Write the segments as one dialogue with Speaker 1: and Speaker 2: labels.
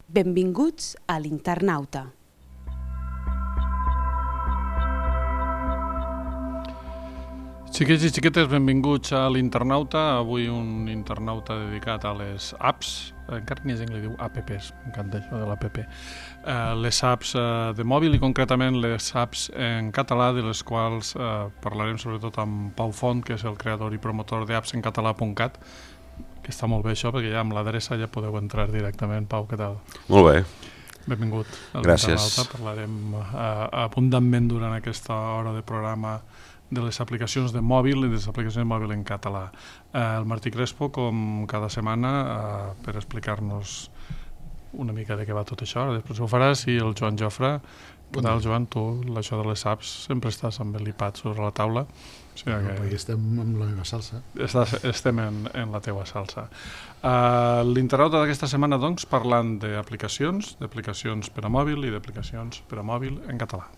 Speaker 1: Benvinguts a l'Internauta.
Speaker 2: Xiquets i xiquetes, benvinguts a l'Internauta. Avui un internauta dedicat a les apps. Encara n'hi ha gent que li diu apps, m'encanta això de l'app. Les apps de mòbil i concretament les apps en català, de les quals parlarem sobretot amb Pau Font, que és el creador i promotor d'appsencatalà.cat, que està molt bé això, perquè ja amb l'adreça ja podeu entrar directament. Pau, què tal?
Speaker 3: Molt bé.
Speaker 2: Benvingut a
Speaker 3: Gràcies.
Speaker 2: l'Internauta. Parlarem abundantment durant aquesta hora de programa de les aplicacions de mòbil i de les aplicacions de mòbil en català. El Martí Crespo, com cada setmana, per explicar-nos una mica de què va tot això. Després ho faràs, i el Joan Jofre. Què tal, Joan? Tu, això de les apps, sempre estàs amb l'iPad sobre la taula. O sigui que
Speaker 4: perquè estem amb la meva salsa.
Speaker 2: estem en la teua salsa. L'internauta d'aquesta setmana, doncs, parlant d'aplicacions per a mòbil i d'aplicacions per a mòbil en català.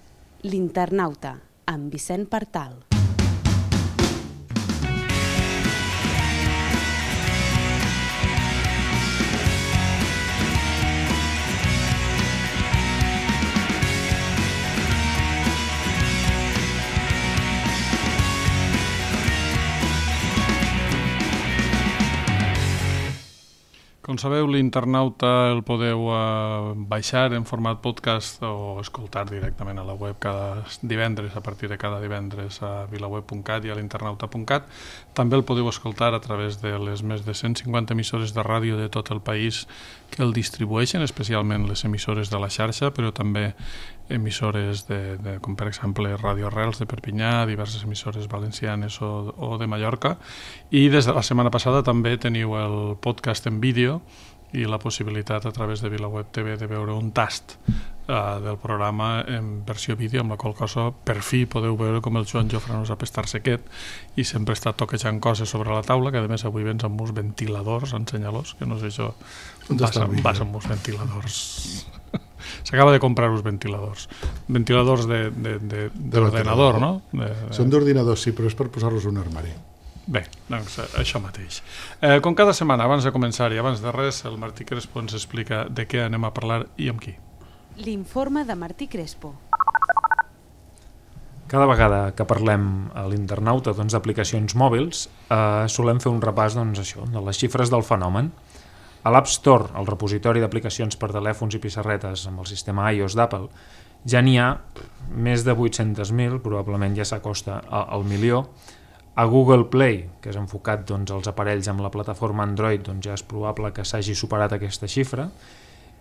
Speaker 1: L'Internauta, amb Vicent Partal.
Speaker 2: Com sabeu, l'Internauta el podeu baixar en format podcast o escoltar directament a la web cada divendres, a partir de cada divendres a vilaweb.cat i a l'internauta.cat. També el podeu escoltar a través de les més de 150 emissores de ràdio de tot el país que el distribueixen, especialment les emissores de la xarxa, però també emissores com per exemple Ràdio Arrels de Perpinyà, diverses emissores valencianes o de Mallorca, i des de la setmana passada també teniu el podcast en vídeo i la possibilitat a través de VilaWeb TV de veure un tast del programa en versió vídeo, amb la qual cosa per fi podeu veure com el Joan Jofre no sap estar sequet i sempre està toquejant coses sobre la taula, que a més avui vens amb uns ventiladors, ensenya-los, que no sé això, vas amb uns ventiladors. S'acaba de comprar uns ventiladors d'ordenador, no?
Speaker 4: Són d'ordinadors, sí, però és per posar-los en un armari.
Speaker 2: Bé, doncs això mateix. Com cada setmana, abans de començar i abans de res, el Martí Crespo ens explica de què anem a parlar i amb qui.
Speaker 1: L'informe de Martí Crespo.
Speaker 5: Cada vegada que parlem a l'Internauta d'aplicacions mòbils, solem fer un repàs de les xifres del fenomen. A l'App Store, el repositori d'aplicacions per telèfons i pissarretes amb el sistema iOS d'Apple, ja n'hi ha més de 800.000, probablement ja s'acosta al milió. A Google Play, que és enfocat als aparells amb la plataforma Android, ja és probable que s'hagi superat aquesta xifra.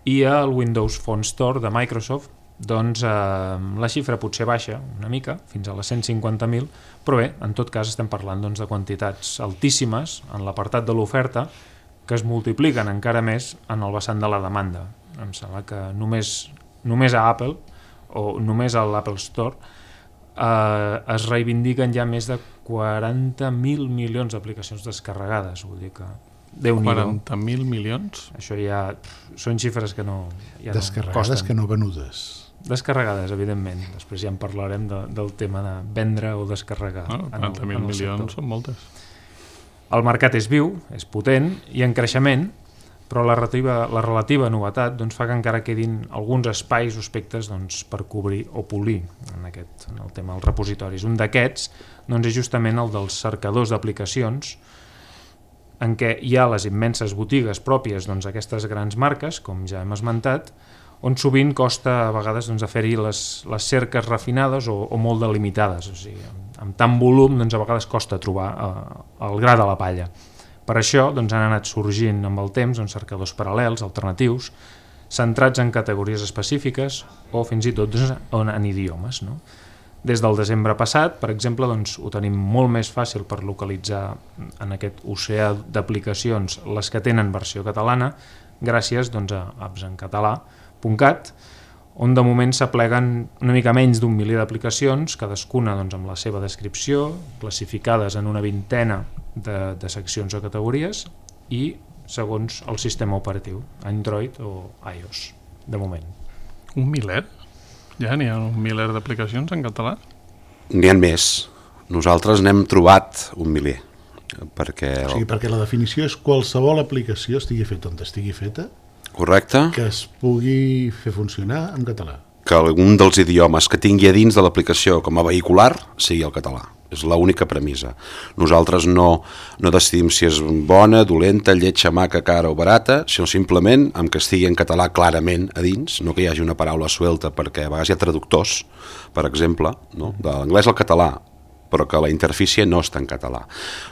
Speaker 5: I al Windows Phone Store de Microsoft, la xifra potser baixa una mica, fins a les 150.000, però bé, en tot cas estem parlant de quantitats altíssimes en l'apartat de l'oferta, que es multipliquen encara més en el vessant de la demanda. Em sembla que només a Apple o només a l'Apple Store es reivindiquen ja més de 40.000 milions d'aplicacions descarregades. Vull dir que Déu-n'hi-do.
Speaker 2: 40.000 milions?
Speaker 5: Això ja són xifres que no... Ja
Speaker 4: descarregades, no que no venudes.
Speaker 5: Descarregades, evidentment. Després ja en parlarem del tema de vendre o descarregar.
Speaker 2: 40.000 milions són moltes.
Speaker 5: El mercat és viu, és potent i en creixement, però la relativa novetat fa que encara quedin alguns espais o aspectes per cobrir o polir en el tema dels repositoris. Un d'aquests és justament el dels cercadors d'aplicacions, en què hi ha les immenses botigues pròpies d'aquestes grans marques, com ja hem esmentat, on sovint costa a vegades fer-hi les cerques refinades o molt delimitades. O sigui, amb tant volum a vegades costa trobar el gra de la palla. Per això han anat sorgint amb el temps cercadors paral·lels, alternatius, centrats en categories específiques o fins i tot en idiomes. Des del desembre passat, per exemple, ho tenim molt més fàcil per localitzar en aquest oceà d'aplicacions les que tenen versió catalana, gràcies a appsencatalà.cat, on de moment s'apleguen una mica menys d'un miler d'aplicacions, cadascuna amb la seva descripció, classificades en una vintena de seccions o categories i segons el sistema operatiu, Android o iOS, de moment.
Speaker 2: Un miler? Ja n'hi ha un miler d'aplicacions en català?
Speaker 3: N'hi ha més. Nosaltres n'hem trobat un miler. Perquè
Speaker 4: O sigui, perquè la definició és qualsevol aplicació, estigui feta on estigui feta,
Speaker 3: Correcte.
Speaker 4: que es pugui fer funcionar en català.
Speaker 3: Que algun dels idiomes que tingui a dins de l'aplicació com a vehicular sigui el català. És l'única premissa. Nosaltres no decidim si és bona, dolenta, lletja, maca, cara o barata, sinó simplement amb que estigui en català clarament a dins, no que hi hagi una paraula suelta, perquè a vegades hi ha traductors, per exemple, no? De l'anglès al català, però que la interfície no està en català.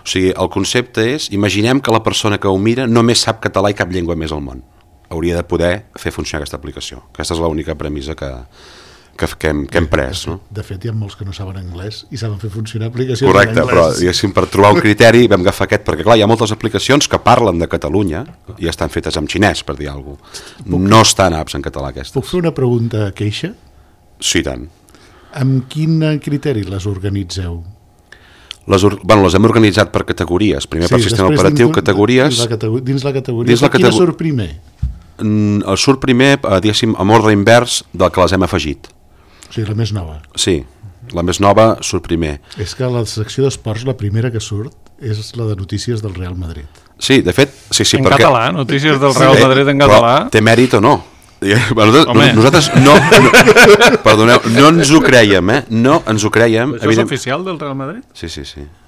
Speaker 3: O sigui, el concepte és, imaginem que la persona que ho mira només sap català i cap llengua més al món. Hauria de poder fer funcionar aquesta aplicació. Aquesta és l'única premissa que hem pres. No?
Speaker 4: De fet, hi ha molts que no saben anglès i saben fer funcionar aplicacions
Speaker 3: Correcte,
Speaker 4: en anglès.
Speaker 3: però diguéssim, per trobar un criteri vam agafar aquest, perquè clar, hi ha moltes aplicacions que parlen de Catalunya i estan fetes en xinès, per dir alguna cosa. No estan apps en català aquestes.
Speaker 4: Puc fer una pregunta queixa?
Speaker 3: Sí, tant.
Speaker 4: Amb quin criteri les organitzeu?
Speaker 3: Les hem organitzat per categories. Primer per sistema operatiu, categories...
Speaker 4: Dins la categoria. Quina surt primer?
Speaker 3: Surt primer, diguéssim, amb ordre invers del que les hem afegit.
Speaker 4: O sigui, la més nova.
Speaker 3: Sí, la més nova surt primer.
Speaker 4: És que a la secció d'esports la primera que surt és la de notícies del Real Madrid.
Speaker 3: Sí, de fet, sí,
Speaker 2: en català, notícies del Real Madrid en català.
Speaker 3: Però té mèrit o no? Nosaltres perdoneu, no ens ho creiem, No ens ho creiem.
Speaker 2: Això és oficial del Real Madrid?
Speaker 3: Sí.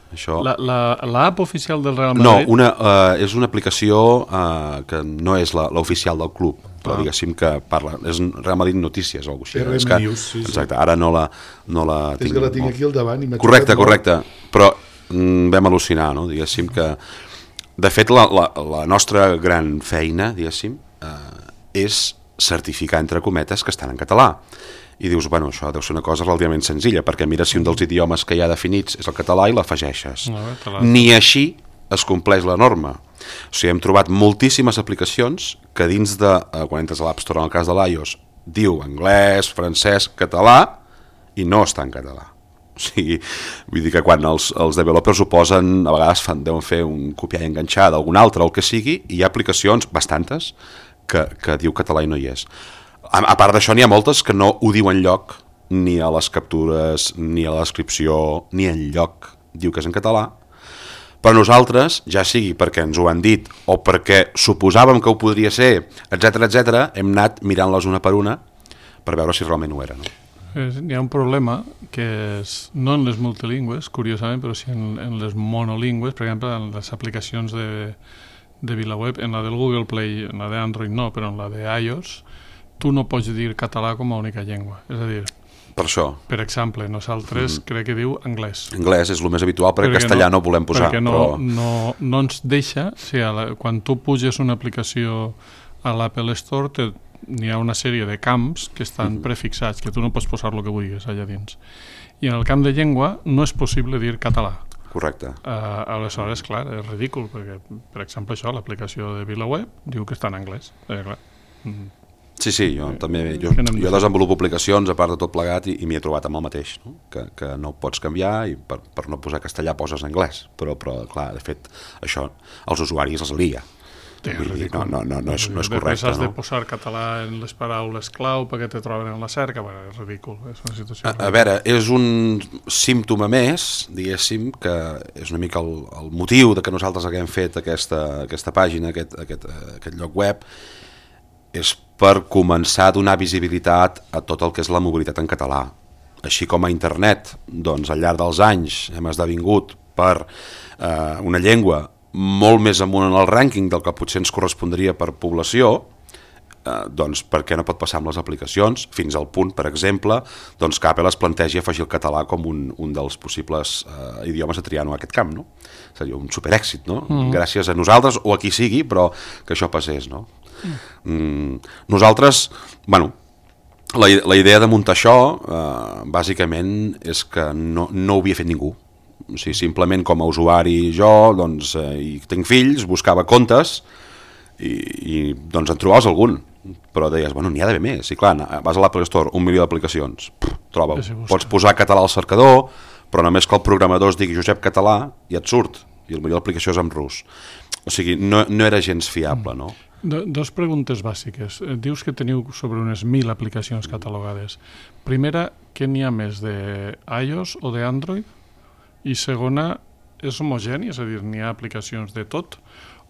Speaker 3: Això...
Speaker 2: L'app oficial del Real Madrid?
Speaker 3: No, és una aplicació que no és l'oficial del club, però diguéssim que parla, és Real Madrid Notícies o alguna cosa així.
Speaker 4: RM News, sí.
Speaker 3: Exacte, ara no la tinc.
Speaker 4: És que la tinc aquí al davant i m'ha
Speaker 3: Correcte, però vam al·lucinar, no? Diguéssim que, de fet, la nostra gran feina, diguéssim, és certificar, entre cometes, que estan en català. I dius, bueno, això deu ser una cosa relativament senzilla, perquè mira si un dels idiomes que hi ha definits és el català i l'afegeixes. Ni així es compleix la norma. O sigui, hem trobat moltíssimes aplicacions que dins de, quan entres a l'App Store, en el cas de l'iOS, diu anglès, francès, català, i no està en català. O sigui, vull dir que quan els developers ho posen, a vegades deuen fer un copiar i enganxar d'algun altre o el que sigui, i hi ha aplicacions, bastantes, que diu català i no hi és. A part d'això, n'hi ha moltes que no ho diuen lloc, ni a les captures, ni a la descripció, ni en lloc diu que és en català, però nosaltres, ja sigui perquè ens ho han dit o perquè suposàvem que ho podria ser, etc, hem anat mirant-les una per una per veure si realment ho era. No?
Speaker 2: Hi ha un problema que és, no en les multilingües, curiosament, però sí en les monolingües, per exemple, en les aplicacions de VilaWeb, en la del Google Play, en la d'Android no, però en la de iOS, tu no pots dir català com a única llengua. És a dir,
Speaker 3: per això.
Speaker 2: Per exemple, nosaltres crec que diu anglès.
Speaker 3: Anglès és el més habitual, perquè castellà no volem posar.
Speaker 2: Perquè no ens deixa, o sigui, quan tu puges una aplicació a l'Apple Store, n'hi ha una sèrie de camps que estan prefixats, que tu no pots posar el que vulguis allà dins. I en el camp de llengua no és possible dir català.
Speaker 3: Correcte.
Speaker 2: Aleshores, clar, és ridícul, perquè, per exemple, això, l'aplicació de VilaWeb diu que està en anglès. Clar.
Speaker 3: Sí, jo també, jo desenvolupo aplicacions a part de tot plegat i m'hi he trobat amb el mateix, no? Que no pots canviar i per no posar castellà poses anglès, però clar, de fet, això als usuaris els lia. No és correcte.
Speaker 2: Després has de posar català en les paraules clau perquè te troben en la cerca, és ridícul, és una situació...
Speaker 3: A veure, és un símptoma més, diguéssim, que és una mica el motiu de que nosaltres haguem fet aquesta pàgina, aquest lloc web, és per començar a donar visibilitat a tot el que és la mobilitat en català. Així com a internet, doncs al llarg dels anys hem esdevingut per una llengua molt més amunt en el rànquing del que potser ens correspondria per població, doncs per què no pot passar amb les aplicacions, fins al punt, per exemple, doncs que Apple es plantegi afegir el català com un dels possibles idiomes a triar en aquest camp, no? Seria un superèxit, no? Gràcies a nosaltres o a qui sigui, però que això passés, no? Nosaltres, bueno, la idea de muntar això bàsicament és que no ho havia fet ningú. O sigui, simplement com a usuari jo, doncs, i tinc fills, buscava comptes i doncs en trobaves algun, però deies, bueno, n'hi ha d'haver més. I clar, vas a l'Apple Store, 1 milió d'aplicacions, troba-ho. Pots posar català al cercador, però només que el programador es digui Josep Català i et surt, i el millor d'aplicació és en rus. O sigui, no era gens fiable, no?
Speaker 2: Dos preguntes bàsiques. Dius que teniu sobre unes 1.000 aplicacions catalogades. Primera, què n'hi ha més de iOS o d'Android? I segona, és homogeni? És a dir, n'hi ha aplicacions de tot?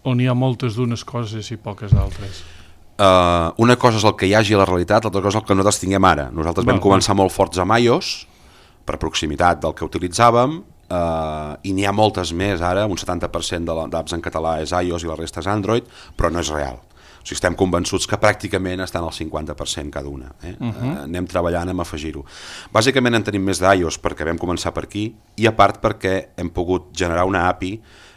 Speaker 2: O n'hi ha moltes d'unes coses i poques d'altres?
Speaker 3: una cosa és el que hi hagi a la realitat, l'altra cosa és el que nosaltres tinguem ara. Nosaltres vam començar molt forts amb iOS, per proximitat del que utilitzàvem, i n'hi ha moltes més ara, un 70% d'apps en català és iOS i la resta és Android, però no és real. O sigui, estem convençuts que pràcticament estan al 50% cada una. Anem treballant en afegir-ho. Bàsicament en tenim més d'iOS perquè vam començar per aquí, i a part perquè hem pogut generar una API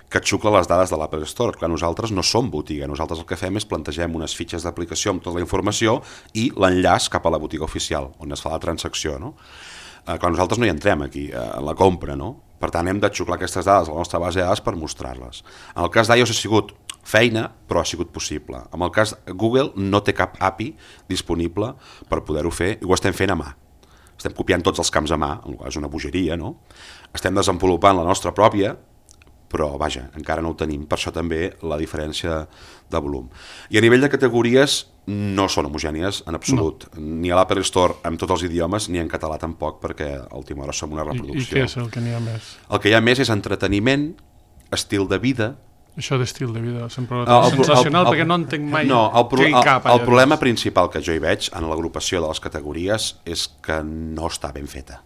Speaker 3: que et xucla les dades de l'Apple Store. Clar, nosaltres no som botiga, nosaltres el que fem és plantegem unes fitxes d'aplicació amb tota la informació i l'enllaç cap a la botiga oficial, on es fa la transacció, no? Clar, nosaltres no hi entrem aquí, a la compra, no? Per tant, hem de xuclar aquestes dades a la nostra base de dades per mostrar-les. En el cas d'iOS ha sigut feina, però ha sigut possible. En el cas Google no té cap API disponible per poder-ho fer, i ho estem fent a mà. Estem copiant tots els camps a mà, és una bogeria, no? Estem desenvolupant la nostra pròpia, però vaja, encara no ho tenim, per això també la diferència de volum. I a nivell de categories no són homogènies en absolut, ni a l'Apple Store amb tots els idiomes, ni en català tampoc, perquè a última hora som una reproducció.
Speaker 2: I què és el que n'hi ha més?
Speaker 3: El que hi ha més és entreteniment, estil de vida.
Speaker 2: Això d'estil de vida sempre és sensacional, perquè no entenc mai què hi cap.
Speaker 3: El problema principal que jo hi veig en l'agrupació de les categories és que no està ben feta.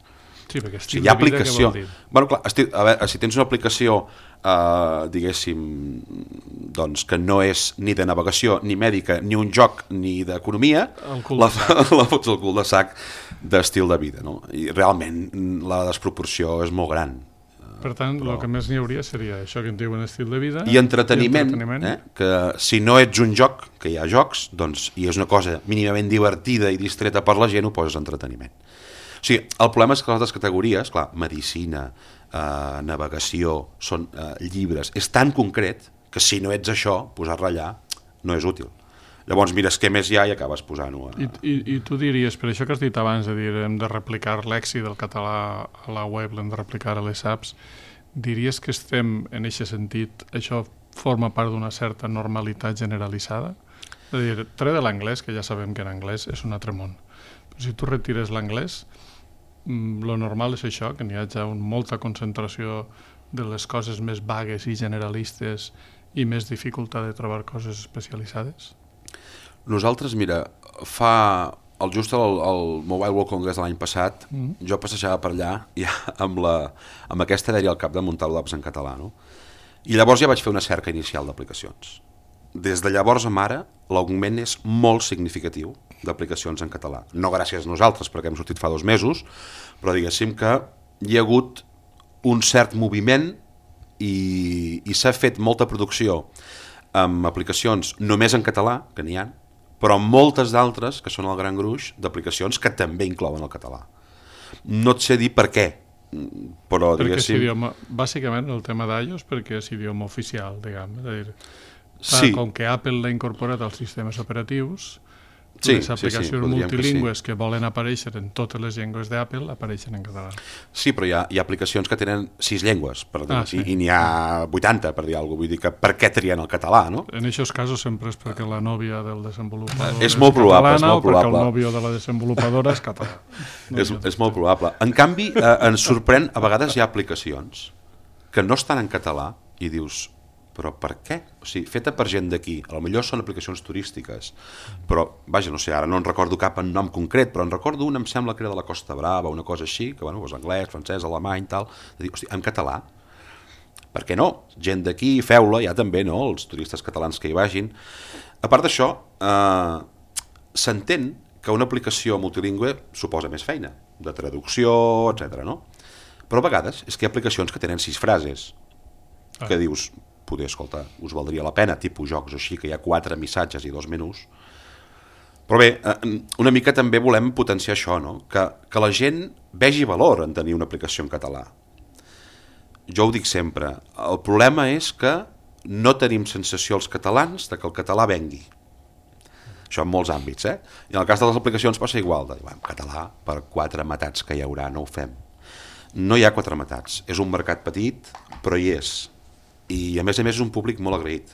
Speaker 2: Sí, perquè estil de vida què vol dir?
Speaker 3: Bueno, clar, a veure, si tens una aplicació, diguéssim, doncs, que no és ni de navegació, ni mèdica, ni un joc, ni d'economia, la fots al cul de sac d'estil de vida, no? I realment la desproporció és molt gran.
Speaker 2: Per tant, el que més n'hi hauria seria això que en diuen estil de vida
Speaker 3: i entreteniment. Que si no ets un joc, que hi ha jocs, doncs, i és una cosa mínimament divertida i distreta per la gent, ho poses entreteniment. O sigui, el problema és que les altres categories, clar, medicina, navegació, són llibres, és tan concret que si no ets això, posar-la allà no és útil. Llavors mires què més hi ha i acabes posant-ho.
Speaker 2: I tu diries, per això que has dit abans, de dir hem de replicar l'èxit del català a la web, l'hem de replicar a les apps, diries que estem, en aquest sentit, això forma part d'una certa normalitat generalitzada? És a dir, tret de l'anglès, que ja sabem que en anglès és un altre món, però si tu retires l'anglès, lo normal és això, que n'hi hagi molta concentració de les coses més vagues i generalistes i més dificultat de trobar coses especialitzades?
Speaker 3: Nosaltres, mira, just al Mobile World Congress de l'any passat, jo passejava per allà ja amb aquesta idea al cap de muntar l'apps en català, no? I llavors ja vaig fer una cerca inicial d'aplicacions. Des de llavors a ara, l'augment és molt significatiu d'aplicacions en català. No gràcies a nosaltres, perquè hem sortit fa 2 mesos, però diguéssim que hi ha hagut un cert moviment i s'ha fet molta producció amb aplicacions només en català, que n'hi ha, però moltes d'altres, que són el gran gruix, d'aplicacions que també inclouen el català. No et sé dir per què, però diguéssim...
Speaker 2: Bàsicament el tema d'iOS perquè és idioma oficial, diguem. És a dir,
Speaker 3: sí.
Speaker 2: Com que Apple l'ha incorporat als sistemes operatius, les aplicacions multilingües que volen aparèixer en totes les llengües d'Apple apareixen en català.
Speaker 3: Sí, però hi ha aplicacions que tenen 6 llengües, i n'hi ha 80, per dir alguna cosa. Vull dir que per què trien el català, no?
Speaker 2: En aquests casos sempre és perquè la nòvia del desenvolupador
Speaker 3: és molt probable,
Speaker 2: catalana, o perquè el nòvio de la desenvolupadora és català.
Speaker 3: És molt probable. En canvi, ens sorprèn, a vegades hi ha aplicacions que no estan en català i dius... però per què? O sigui, feta per gent d'aquí, potser són aplicacions turístiques, però, vaja, no sé, ara no en recordo cap en nom concret, però en recordo una, em sembla que era de la Costa Brava, una cosa així, que, bueno, anglès, francès, alemany, tal, de dir, hosti, en català? Per què no? Gent d'aquí, feu-la, ja també, no?, els turistes catalans que hi vagin. A part d'això, s'entén que una aplicació multilingüe suposa més feina, de traducció, etc. no? Però a vegades és que hi ha aplicacions que tenen 6 frases, que dius... poder, escolta, us valdria la pena, tipus jocs així, que hi ha 4 missatges i 2 menús. Però bé, una mica també volem potenciar això, no? Que la gent vegi valor en tenir una aplicació en català. Jo ho dic sempre, el problema és que no tenim sensació els catalans de que el català vengui. Això en molts àmbits, I en el cas de les aplicacions passa igual, en català, per 4 matats que hi haurà, no ho fem. No hi ha 4 matats, és un mercat petit, però hi és. I a més és un públic molt agraït.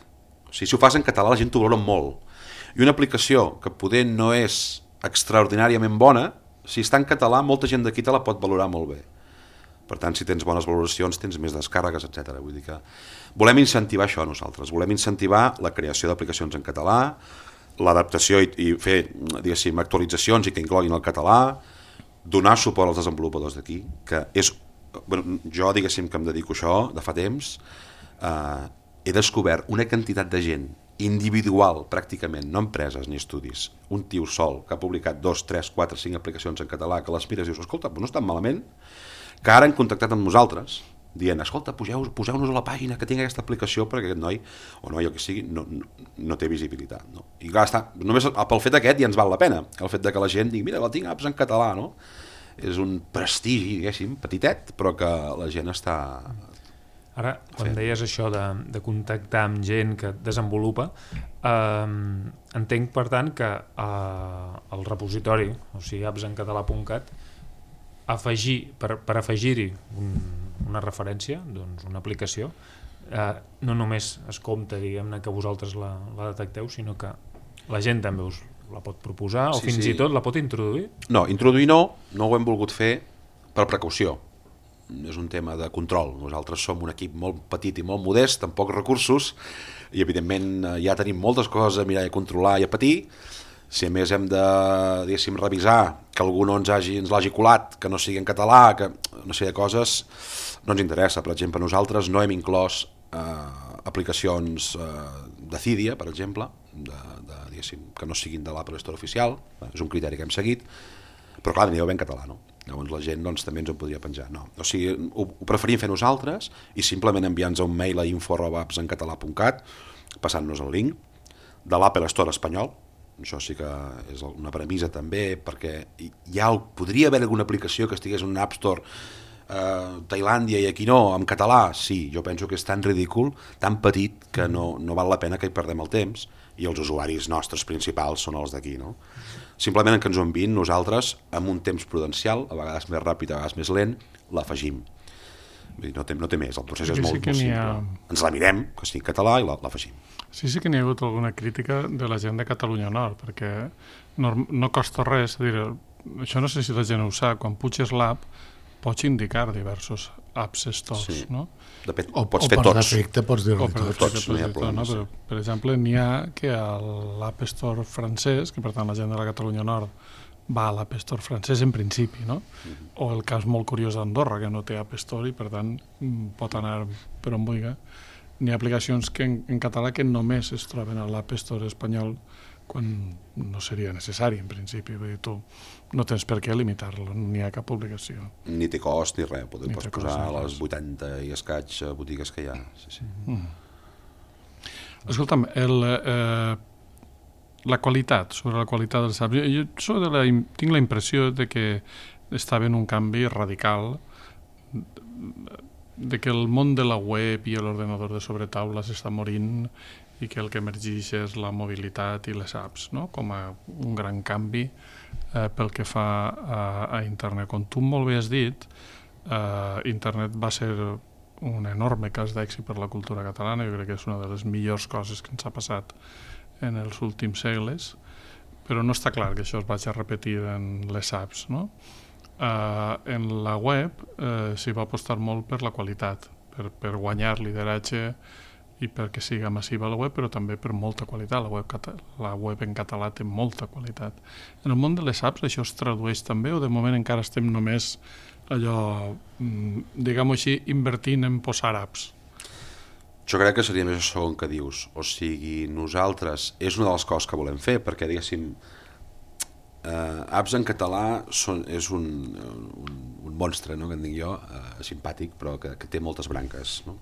Speaker 3: O sigui, si ho fas en català la gent t'ho valora molt. I una aplicació que poder no és extraordinàriament bona, si està en català molta gent d'aquí te la pot valorar molt bé. Per tant, si tens bones valoracions tens més descàrregues, etc. Vull dir que volem incentivar això nosaltres, volem incentivar la creació d'aplicacions en català, l'adaptació i fer, diguéssim, actualitzacions i que incloguin el català, donar suport als desenvolupadors d'aquí, que és... Bueno, jo, diguéssim, que em dedico a això de fa temps, he descobert una quantitat de gent individual, pràcticament, no empreses ni estudis, un tio sol que ha publicat 2, 3, 4, 5 aplicacions en català, que les mires i dius, escolta, no estan malament, que ara han contactat amb nosaltres, dient, escolta, poseu-nos a la pàgina que tinc aquesta aplicació perquè aquest noi, o noi o que sigui, no té visibilitat. No? I clar, només pel fet aquest ja ens val la pena, el fet de que la gent digui, mira, la tinc apps en català, no? És un prestigi, diguéssim, petitet, però que la gent està...
Speaker 5: Ara, quan deies això de contactar amb gent que desenvolupa, entenc, per tant, que el repositori, o sigui, appsencatalà.cat, per afegir-hi una referència, doncs una aplicació, no només es compta, diguem-ne, que vosaltres la detecteu, sinó que la gent també us la pot proposar o fins i tot la pot introduir?
Speaker 3: No, introduir no ho hem volgut fer per precaució. És un tema de control. Nosaltres som un equip molt petit i molt modest, amb pocs recursos, i evidentment ja tenim moltes coses a mirar i a controlar i a patir. Si a més hem de, diguéssim, revisar que algú no ens l'hagi colat, que no sigui en català, que una sèrie de coses, no ens interessa. Per exemple, nosaltres no hem inclòs aplicacions de Cydia, per exemple, que no siguin de l'Apple Store oficial, és un criteri que hem seguit, però clar, anireu ben català, no? Llavors la gent també ens ho podria penjar. No. O sigui, ho preferim fer nosaltres i simplement enviar-nos un mail a info@appsencatalà.cat passant-nos el link de l'Apple Store espanyol. Això sí que és una premissa també, perquè podria haver alguna aplicació que estigués en un App Store Tailàndia i aquí no, en català, sí, jo penso que és tan ridícul, tan petit, que no val la pena que hi perdem el temps, i els usuaris nostres principals són els d'aquí, no? Simplement que ens ho enviïn, nosaltres, amb un temps prudencial, a vegades més ràpid, a vegades més lent, l'afegim. No té més, el procés és molt simple. Ens la mirem, que sigui català, i l'afegim.
Speaker 2: Sí que n'hi ha hagut alguna crítica de la gent de Catalunya Nord, perquè no costa res, això no sé si la gent ho sap, quan puges l'app pots indicar diversos apps stores, no?
Speaker 3: O pots fer tots.
Speaker 4: O per defecte pots dir-ne tots.
Speaker 2: Però, per exemple, n'hi ha que a l'App Store francès, que per tant la gent de la Catalunya Nord va a l'App Store francès en principi, no? O el cas molt curiós d'Andorra, que no té App Store i per tant pot anar per on vulgui. N'hi ha aplicacions en català que només es troben a l'App Store espanyol quan no seria necessari en principi. Vull dir, tu no tens per què limitar-lo, ni hi ha cap obligació.
Speaker 3: Ni té cost ni res, pots posar a les 80 i escaig botigues que hi ha. Sí.
Speaker 2: Escolta'm, sobre la qualitat dels apps, jo tinc la impressió de que estava en un canvi radical, de que el món de la web i l'ordenador de sobretaula s'està morint i que el que emergeix és la mobilitat i les apps, no? Com a un gran canvi pel que fa a internet. Com tu molt bé has dit, internet va ser un enorme cas d'èxit per la cultura catalana. Jo crec que és una de les millors coses que ens ha passat en els últims segles, però no està clar que això es vagi a repetir en les apps, no? En la web s'hi va apostar molt per la qualitat, per guanyar lideratge i perquè siga massiva la web, però també per molta qualitat. La web en català té molta qualitat. En el món de les apps això es tradueix també, o de moment encara estem només allò, diguem-ho així, invertint en posar apps?
Speaker 3: Jo crec que seria més això segon que dius. O sigui, nosaltres, és una de les coses que volem fer, perquè, diguéssim, apps en català és un monstre, no?, que en dic jo, simpàtic, però que té moltes branques, no?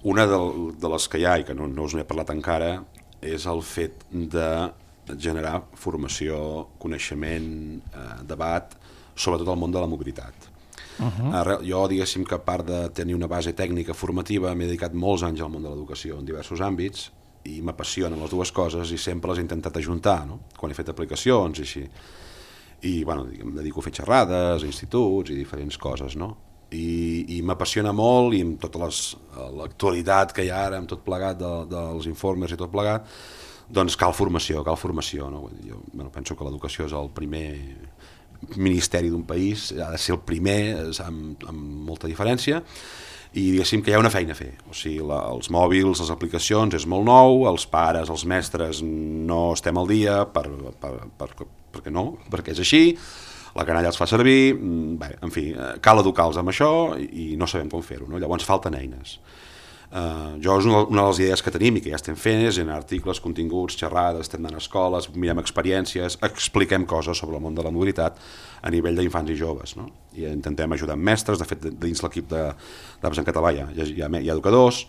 Speaker 3: Una de les que hi ha, i que no us n'he parlat encara, és el fet de generar formació, coneixement, debat, sobretot al món de la mobilitat. Jo, diguéssim que a part de tenir una base tècnica formativa, m'he dedicat molts anys al món de l'educació en diversos àmbits, i m'apassionen les dues coses i sempre les he intentat ajuntar, no?, quan he fet aplicacions i així. I, bueno, em dedico a fer xerrades, a instituts i diferents coses, no? I m'apassiona molt, i amb tota l'actualitat que hi ha ara, amb tot plegat dels informes i tot plegat, doncs cal formació, no? Jo penso que l'educació és el primer ministeri d'un país, ha de ser el primer amb molta diferència, i diguéssim que hi ha una feina a fer. O sigui, els mòbils, les aplicacions, és molt nou, els pares, els mestres no estem al dia perquè no, perquè és així, la canalla els fa servir, bé, en fi, cal educar-los amb això i no sabem com fer-ho, no? Llavors falten eines. Jo és una de les idees que tenim i que ja estem fent és en articles, continguts, xerrades, estem anant a escoles, mirem experiències, expliquem coses sobre el món de la mobilitat a nivell d'infants i joves, no? I intentem ajudar amb mestres, de fet dins l'equip d'Apps en Català hi ha educadors.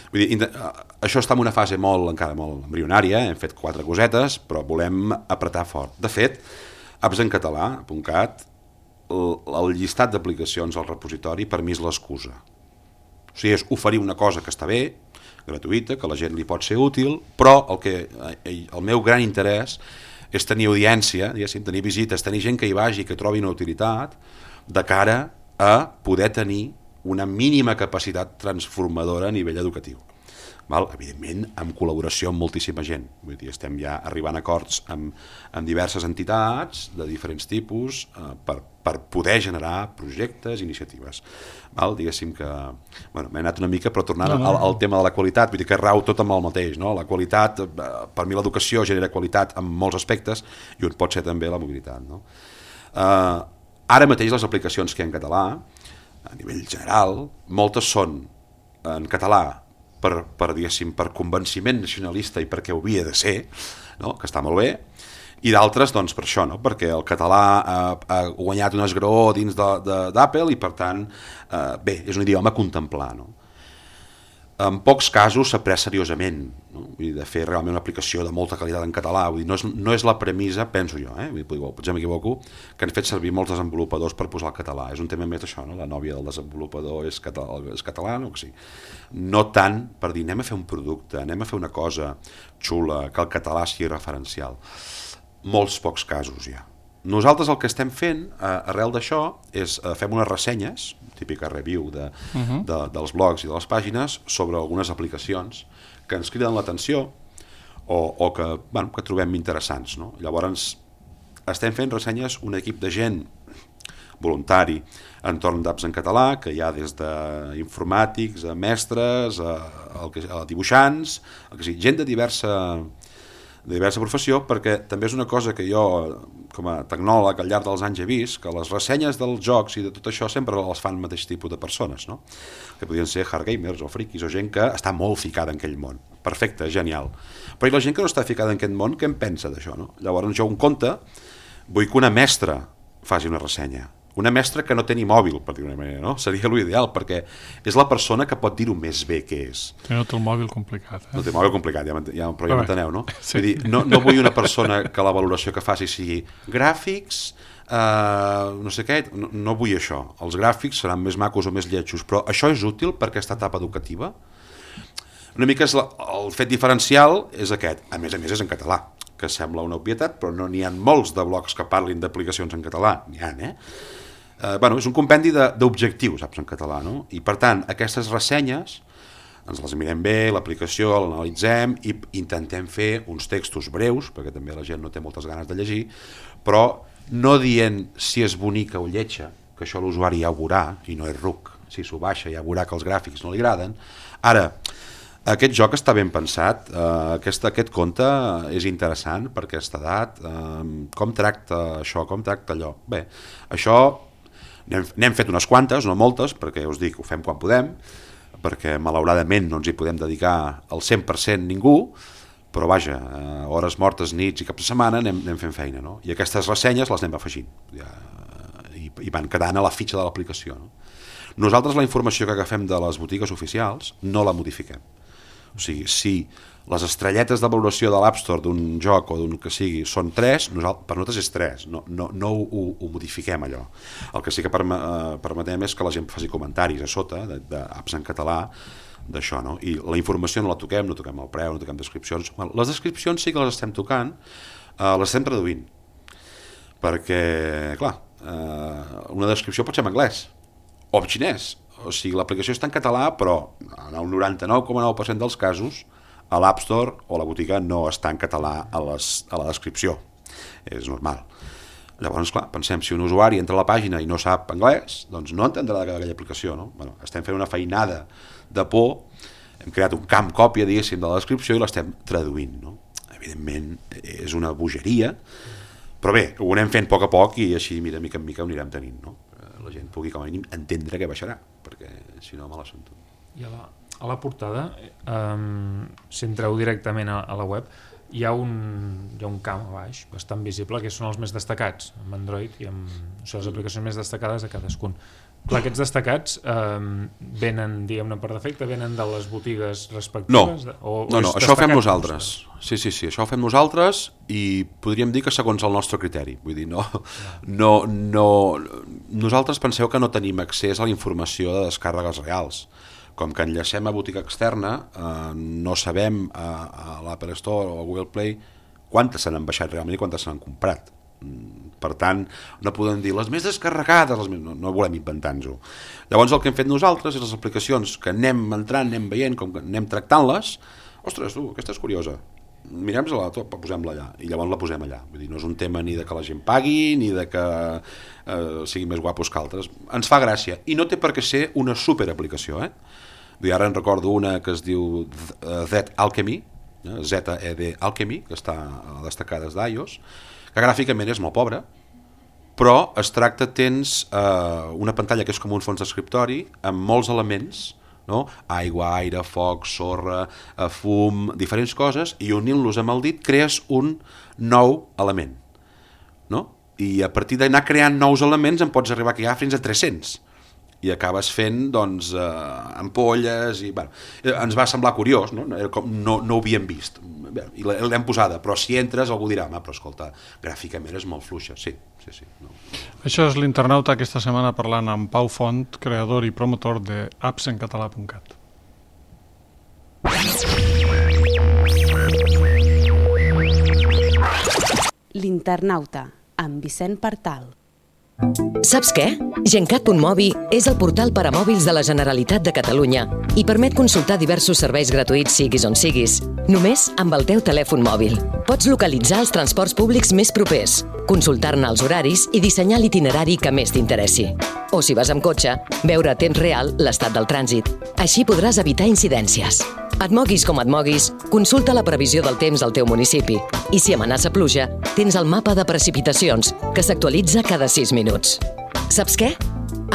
Speaker 3: Vull dir, això està en una fase encara molt embrionària, hem fet 4 cosetes, però volem apretar fort. De fet, appsencatalà.cat, el llistat d'aplicacions al repositori per mi és l'excusa. O sigui, és oferir una cosa que està bé, gratuïta, que a la gent li pot ser útil, però el meu gran interès és tenir audiència, tenir visites, tenir gent que hi vagi, que trobi una utilitat, de cara a poder tenir una mínima capacitat transformadora a nivell educatiu. Evidentment, amb col·laboració amb moltíssima gent. Vull dir, estem ja arribant a acords amb diverses entitats de diferents tipus per poder generar projectes, iniciatives. Diguéssim que... m'he anat una mica, però tornant al tema de la qualitat, vull dir que rau tot amb el mateix, no? La qualitat, per mi l'educació genera qualitat en molts aspectes i un pot ser també la mobilitat, no? Ara mateix les aplicacions que hi ha en català, a nivell general, moltes són en català per convenciment nacionalista i perquè ho havia de ser, no? Que està molt bé, i d'altres doncs, per això, no? Perquè el català ha guanyat un esgraó dins d'Apple i per tant, bé, és un idioma a contemplar, no? En pocs casos s'ha pres seriosament, no? Vull dir, de fer realment una aplicació de molta qualitat en català. Vull dir, no és la premissa, penso jo, potser m'equivoco, que han fet servir molts desenvolupadors per posar el català. És un tema més això, no? La nòvia del desenvolupador és català, no? Que sí. No tant per dir anem a fer un producte, anem a fer una cosa xula, que el català sigui referencial. Molts pocs casos ja. Nosaltres el que estem fent, arrel d'això, és fem unes ressenyes, típica review dels blogs i de les pàgines, sobre algunes aplicacions que ens criden l'atenció o que trobem interessants, no? Llavors, estem fent ressenyes un equip de gent voluntari entorn d'Apps en Català, que hi ha des d'informàtics, a mestres, a dibuixants, gent de diversa professió, perquè també és una cosa que jo, com a tecnòleg, al llarg dels anys he vist, que les ressenyes dels jocs i de tot això sempre les fan el mateix tipus de persones, no? Que podien ser hardgamers o friquis o gent que està molt ficada en aquell món. Perfecte, genial. Però i la gent que no està ficada en aquest món, què en pensa d'això, no? Llavors jo un conte vull que una mestra faci una ressenya. Una mestra que no té ni mòbil, per dir-ho d'una manera, no? Seria l'ideal, perquè és la persona que pot dir-ho més bé que és.
Speaker 2: No té el mòbil complicat.
Speaker 3: No té el mòbil complicat, però ja m'enteneu, no? Sí. Vull dir, no vull una persona que la valoració que faci sigui gràfics, no sé què, no vull això. Els gràfics seran més macos o més lletjos, però això és útil per aquesta etapa educativa? Una mica el fet diferencial és aquest. A més és en català, que sembla una obvietat, però no n'hi ha molts de blogs que parlin d'aplicacions en català. N'hi ha, és un compendi d'objectius, Apps en Català, no? I per tant, aquestes ressenyes ens les mirem bé, l'aplicació l'analitzem i intentem fer uns textos breus, perquè també la gent no té moltes ganes de llegir, però no dient si és bonica o lletja, que això l'usuari ja ho veurà, i no és ruc. Si s'ho baixa ja veurà que els gràfics no li agraden. Ara, aquest joc està ben pensat, aquest conte és interessant per aquesta edat, com tracta això, com tracta allò. Bé, això n'hem fet unes quantes, no moltes, perquè us dic, ho fem quan podem, perquè malauradament no ens hi podem dedicar al 100% ningú, però vaja, hores mortes, nits i caps de setmana anem fent feina, no? I aquestes ressenyes les anem afegint i van quedant a la fitxa de l'aplicació, no? Nosaltres la informació que agafem de les botigues oficials no la modifiquem. O sigui, si les estrelletes de valoració de l'App Store d'un joc o d'un que sigui són 3, per nosaltres és 3, no ho modifiquem allò. El que sí que permetem és que la gent faci comentaris a sota d'Apps en Català d'això, no? I la informació no la toquem, no toquem el preu, no toquem descripcions. Les descripcions sí que les estem tocant, les estem traduint, perquè, clar, una descripció pot ser en anglès o en xinès. O sigui, l'aplicació està en català, però en el 99,9% dels casos a l'App Store o la botiga no està en català a la descripció. És normal. Llavors, clar, pensem, si un usuari entra a la pàgina i no sap anglès, doncs no entendrà aquella aplicació, no? Bueno, estem fent una feinada de por, hem creat un camp còpia, diguéssim, de la descripció i l'estem traduint, no? Evidentment, és una bogeria, però bé, ho anem fent a poc i així, mira, mica en mica ho anirem tenint, no? La gent pugui, com a mínim, entendre què baixarà, perquè si no, me la sento.
Speaker 5: I a la portada, si entreu directament a la web, hi ha un camp a baix bastant visible que són els més destacats amb Android i amb les aplicacions més destacades de cadascun. Clar, aquests destacats venen, diguem-ne, per defecte, venen de les botigues respectives?
Speaker 3: No, això ho fem nosaltres. Sí, això ho fem nosaltres i podríem dir que segons el nostre criteri. Vull dir, nosaltres penseu que no tenim accés a la informació de descàrregues reals. Com que enllacem a botiga externa, no sabem a l'Apple Store o a Google Play quantes se n'han baixat realment i quantes se n'han comprat. Per tant, no podem dir les més descarregades, no volem inventar-nos-ho. Llavors el que hem fet nosaltres és les aplicacions que anem entrant, anem veient, com que anem tractant-les, ostres, aquesta és curiosa, mirem-la, posem-la allà, i llavors la posem allà. Vull dir, no és un tema ni de que la gent pagui, ni de que siguin més guapos que altres. Ens fa gràcia, i no té per què ser una superaplicació, Vull dir, ara en recordo una que es diu Z-Alchemy, Z-E-D Alchemy, que està a destacades d'iOS, que gràficament és molt pobra, però es tracta, tens una pantalla que és com un fons d'escriptori amb molts elements, no? Aigua, aire, foc, sorra, fum, diferents coses, i unint-los amb el dit crees un nou element, no? I a partir d'anar creant nous elements en pots arribar a crear fins a 300 i acabes fent, doncs, ampolles i, bueno, ens va semblar curiós, no ho havíem vist i l'hem posada, però si entres algú dirà, però escolta, gràficament és molt fluixa. Sí. No.
Speaker 2: Això és l'Internauta aquesta setmana parlant amb Pau Font, creador i promotor de appsencatalà.cat.
Speaker 1: L'Internauta, amb Vicent Partal.
Speaker 6: Saps què? Gencat.mobi és el portal per a mòbils de la Generalitat de Catalunya i permet consultar diversos serveis gratuïts siguis on siguis, només amb el teu telèfon mòbil. Pots localitzar els transports públics més propers, consultar-ne els horaris i dissenyar l'itinerari que més t'interessi. O si vas amb cotxe, veure a temps real l'estat del trànsit. Així podràs evitar incidències. Et moguis com et moguis, consulta la previsió del temps al teu municipi i si amenaça pluja, tens el mapa de precipitacions, que s'actualitza cada 6 minuts. Saps què?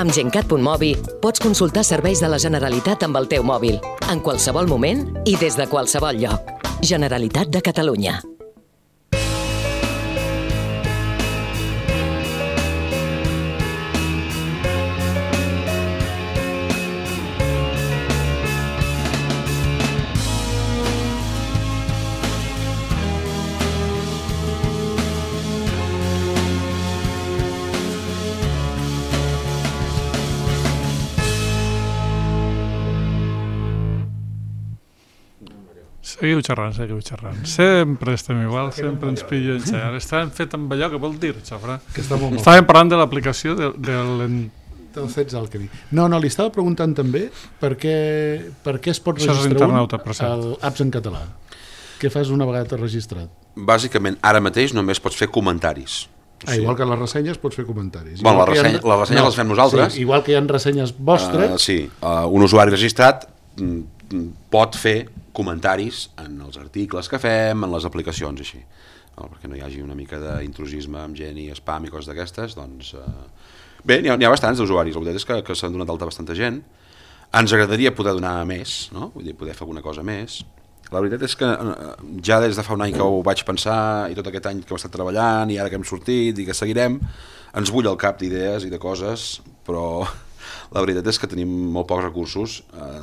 Speaker 6: Amb Gencat.mobi pots consultar serveis de la Generalitat amb el teu mòbil, en qualsevol moment i des de qualsevol lloc. Generalitat de Catalunya.
Speaker 2: Seguiu xerrant. Sempre estem igual, sempre ens pillo en xerrar. Estàvem fet amb allò, que vol dir, Xafra? Estàvem parlant de l'aplicació del
Speaker 4: Z-Alchemy. No, li estava preguntant també per què es pot registrar apps en català. Què fas una vegada t'has registrat?
Speaker 3: Bàsicament, ara mateix només pots fer comentaris.
Speaker 4: Igual que les ressenyes pots fer comentaris.
Speaker 3: Bueno, les ressenyes les fem nosaltres.
Speaker 4: Sí, igual que hi ha ressenyes vostres.
Speaker 3: Sí, un usuari registrat pot fer comentaris en els articles que fem, en les aplicacions, així. Perquè no hi hagi una mica d'intrusisme amb gent i spam i coses d'aquestes, doncs... Bé, n'hi ha bastants d'usuaris, la veritat és que s'han donat d'alta bastanta gent. Ens agradaria poder donar més, no? Vull dir, poder fer alguna cosa més. La veritat és que ja des de fa un any que ho vaig pensar i tot aquest any que hem estat treballant i ara que hem sortit i que seguirem, ens bull el cap d'idees i de coses, però... La veritat és que tenim molt pocs recursos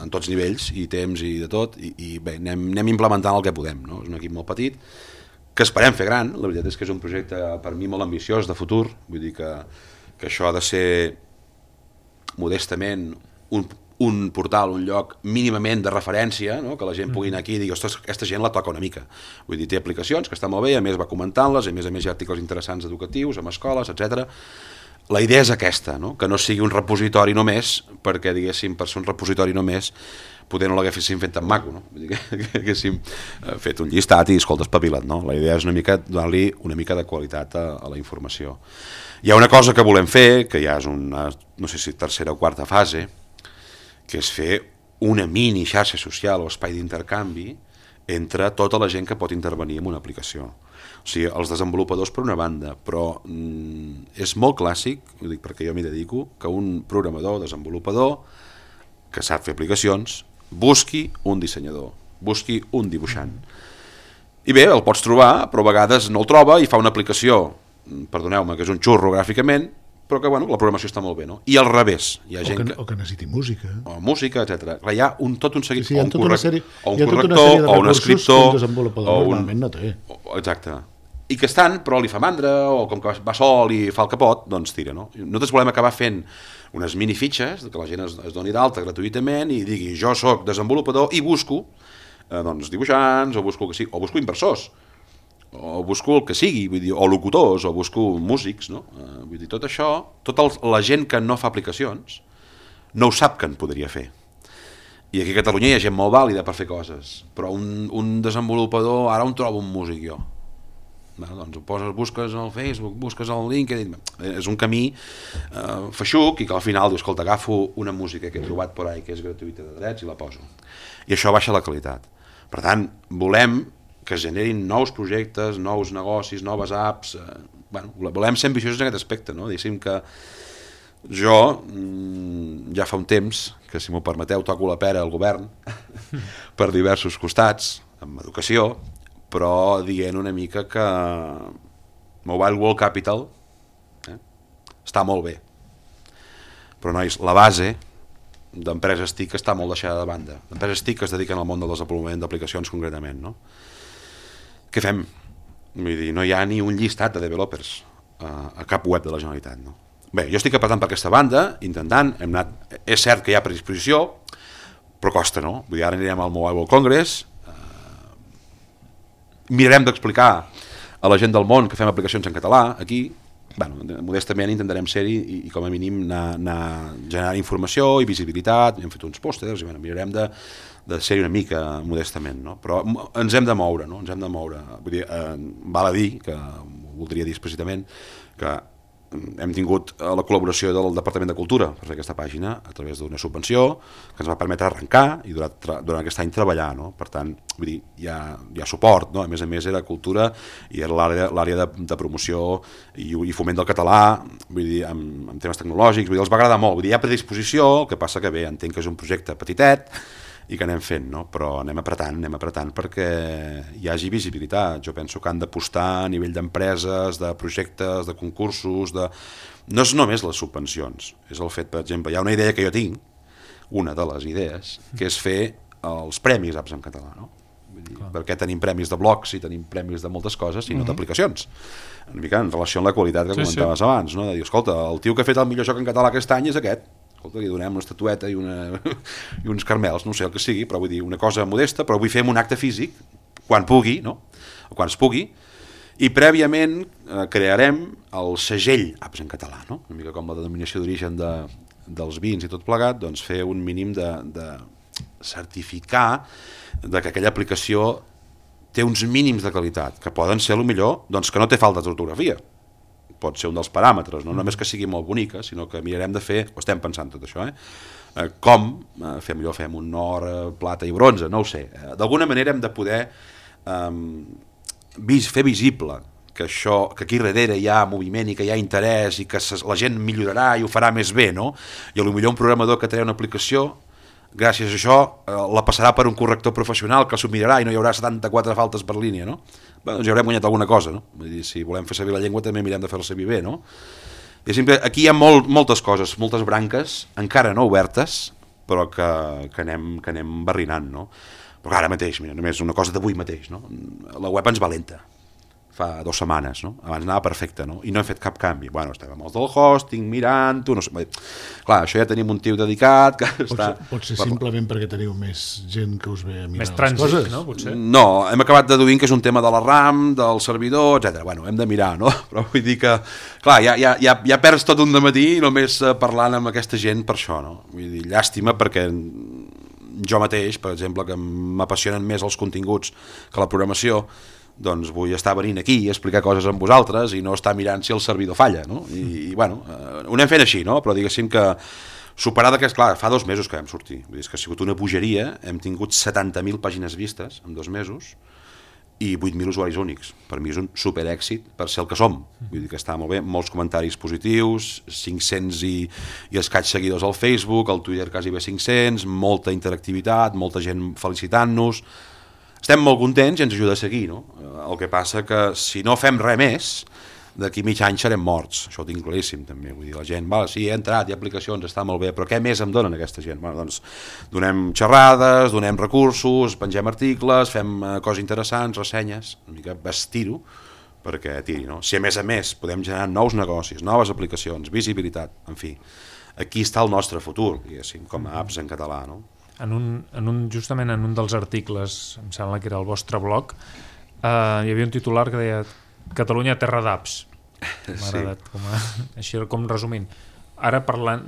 Speaker 3: en tots nivells i temps i de tot i bé, anem implementant el que podem, no? És un equip molt petit que esperem fer gran. La veritat és que és un projecte per mi molt ambiciós de futur, vull dir que això ha de ser modestament un portal, un lloc mínimament de referència, no? Que la gent pugui anar aquí i digui, ostres, aquesta gent la toca una mica. Vull dir, té aplicacions que estan molt bé, a més va comentant-les, a més hi ha articles interessants educatius, amb escoles, etc. la idea és aquesta, no? Que no sigui un repositori només, perquè, diguéssim, per ser un repositori només, poder no l'haguéssim fet tan maco, no? Vull dir que haguéssim fet un llistat i, escolta, espavila't, no? La idea és una mica donar-li una mica de qualitat a la informació. Hi ha una cosa que volem fer, que ja és una, no sé si tercera o quarta fase, que és fer una mini xarxa social o espai d'intercanvi entre tota la gent que pot intervenir en una aplicació. O sigui, els desenvolupadors per una banda, però és molt clàssic, ho dic perquè jo m'hi dedico, que un programador, desenvolupador, que sap fer aplicacions, busqui un dissenyador, busqui un dibuixant. I bé, el pots trobar, però a vegades no el troba i fa una aplicació, perdoneu-me, que és un xurro gràficament, però que bueno, la programació està molt bé, no? I al revés, hi ha gent
Speaker 4: o que necessiti música.
Speaker 3: O música, etc. Hi ha tot un seguit,
Speaker 4: sí,
Speaker 3: o un corrector, o un escriptor,
Speaker 4: o un... no té.
Speaker 3: Exacte. I que estan, però li fa mandra, o com que va sol i fa el que pot, doncs tira, no? Nosaltres volem acabar fent unes minifitxes, que la gent es doni d'alta gratuïtament i digui, jo sóc desenvolupador i busco doncs, dibuixants, o busco inversors, o busco el que sigui, vull dir, o locutors, o busco músics, no? Vull dir, tot això, la gent que no fa aplicacions no ho sap que en podria fer. I aquí a Catalunya hi ha gent molt vàlida per fer coses, però un desenvolupador, ara on trobo un músic jo? Bueno, doncs busques al Facebook, busques al LinkedIn, és un camí feixuc i que al final dius, escolta, agafo una música que he trobat per ahí que és gratuïta de drets i la poso. I això baixa la qualitat. Per tant, volem que es generin nous projectes, nous negocis, noves apps, volem ser ambiciosos en aquest aspecte, no? Diguéssim que jo ja fa un temps que, si m'ho permeteu, toco la pera al govern per diversos costats, amb educació, però dient una mica que Mobile World Capital està molt bé, però nois, la base d'empreses TIC està molt deixada de banda, d'empreses TIC que es dediquen al món del desenvolupament d'aplicacions concretament, no? Què fem? Vull dir, no hi ha ni un llistat de developers a cap web de la Generalitat, no? Bé, jo estic apretant per aquesta banda, intentant, és cert que hi ha predisposició, però costa, no? Vull dir, ara anirem al Mobile World Congress, mirarem d'explicar a la gent del món que fem aplicacions en català, aquí, bueno, modestament intentarem ser-hi i com a mínim anar generant informació i visibilitat, hem fet uns pòsters i bueno, mirarem de ser-hi una mica modestament, no? Però ens hem de moure, no? Ens hem de moure. Vull dir, val a dir, que voldria dir explícitament, que hem tingut la col·laboració del Departament de Cultura per fer aquesta pàgina a través d'una subvenció que ens va permetre arrencar i durant aquest any treballar, no? Per tant, vull dir, hi ha suport, no? A més era cultura i era l'àrea de promoció i foment del català, vull dir, amb temes tecnològics, vull dir, els va agradar molt, vull dir, hi ha predisposició, el que passa que bé, entenc que és un projecte petitet i que anem fent, no? Però anem apretant perquè hi hagi visibilitat. Jo penso que han d'apostar a nivell d'empreses, de projectes, de concursos, no és només les subvencions, és el fet, per exemple, hi ha una idea que jo tinc, una de les idees, que és fer els premis apps en català, no? Vull dir, perquè tenim premis de blogs i tenim premis de moltes coses i no d'aplicacions. Una mica en relació amb la qualitat que comentaves abans, no? De dir, escolta, el tio que ha fet el millor joc en català aquest any és aquest. Escolta, li donem una estatueta i uns carmels, no sé el que sigui, però vull dir, una cosa modesta, però vull fer un acte físic, quan pugui, no? O quan es pugui, i prèviament crearem el segell apps en català, no? Una mica com la denominació d'origen dels vins i tot plegat, doncs fer un mínim de certificar que aquella aplicació té uns mínims de qualitat, que poden ser, millor, doncs que no té falta d'ortografia, pot ser un dels paràmetres, no només que sigui molt bonica, sinó que mirarem de fer, ho estem pensant tot això, com fem un or, plata i bronze, no ho sé. D'alguna manera hem de poder fer visible que aquí darrere hi ha moviment i que hi ha interès i que la gent millorarà i ho farà més bé, no? I potser un programador que té una aplicació, gràcies a això la passarà per un corrector professional que s'ho mirarà i no hi haurà 74 faltes per línia, no? Bé, doncs ja haurem guanyat alguna cosa, no? Vull dir, si volem fer servir la llengua també mirem de fer-la servir bé, no? Aquí hi ha moltes coses, moltes branques, encara no obertes, però que anem barrinant, no? Però ara mateix, mira, només una cosa d'avui mateix, no? La web ens va lenta. fa 2 setmanes, no? Abans anava perfecte, no? I no he fet cap canvi. Bueno, estem amb els del hosting, mirant-ho, no sé... Clar, això ja tenim un tio dedicat que està...
Speaker 4: Pot ser simplement perquè teniu més gent que us ve a mirar
Speaker 5: més
Speaker 4: les coses.
Speaker 5: no? Potser?
Speaker 3: No, hem acabat deduint que és un tema de la RAM, del servidor, etc. Bueno, hem de mirar, no? Però vull dir que, clar, ja perds tot un dematí només parlant amb aquesta gent per això, no? Vull dir, llàstima perquè jo mateix, per exemple, que m'apassionen més els continguts que la programació, doncs vull estar venint aquí i explicar coses amb vosaltres i no estar mirant si el servidor falla, no? I bueno, ho anem fent així, no? Però diguéssim que superada que, clar, fa 2 mesos que vam sortir, vull dir, és que ha sigut una bogeria, hem tingut 70.000 pàgines vistes en 2 mesos i 8.000 usuaris únics. Per mi és un superèxit per ser el que som, vull dir que està molt bé, molts comentaris positius, 500 i escaig seguidors al Facebook, al Twitter quasi bé 500, molta interactivitat, molta gent felicitant-nos. Estem molt contents i ens ajuda a seguir, no? El que passa que si no fem res més, d'aquí mig any serem morts, això ho tinc claríssim també, vull dir, la gent, vale, sí, he entrat, hi ha aplicacions, està molt bé, però què més em donen aquesta gent? Bueno, doncs donem xerrades, donem recursos, pengem articles, fem coses interessants, ressenyes, una mica vestir-ho perquè tiri, no? Si a més podem generar nous negocis, noves aplicacions, visibilitat, en fi, aquí està el nostre futur, diguéssim, com a apps en català, no?
Speaker 5: Justament en un dels articles, em sembla que era el vostre blog, hi havia un titular que deia Catalunya terra d'apps. M'ha agradat, així com resumint. Ara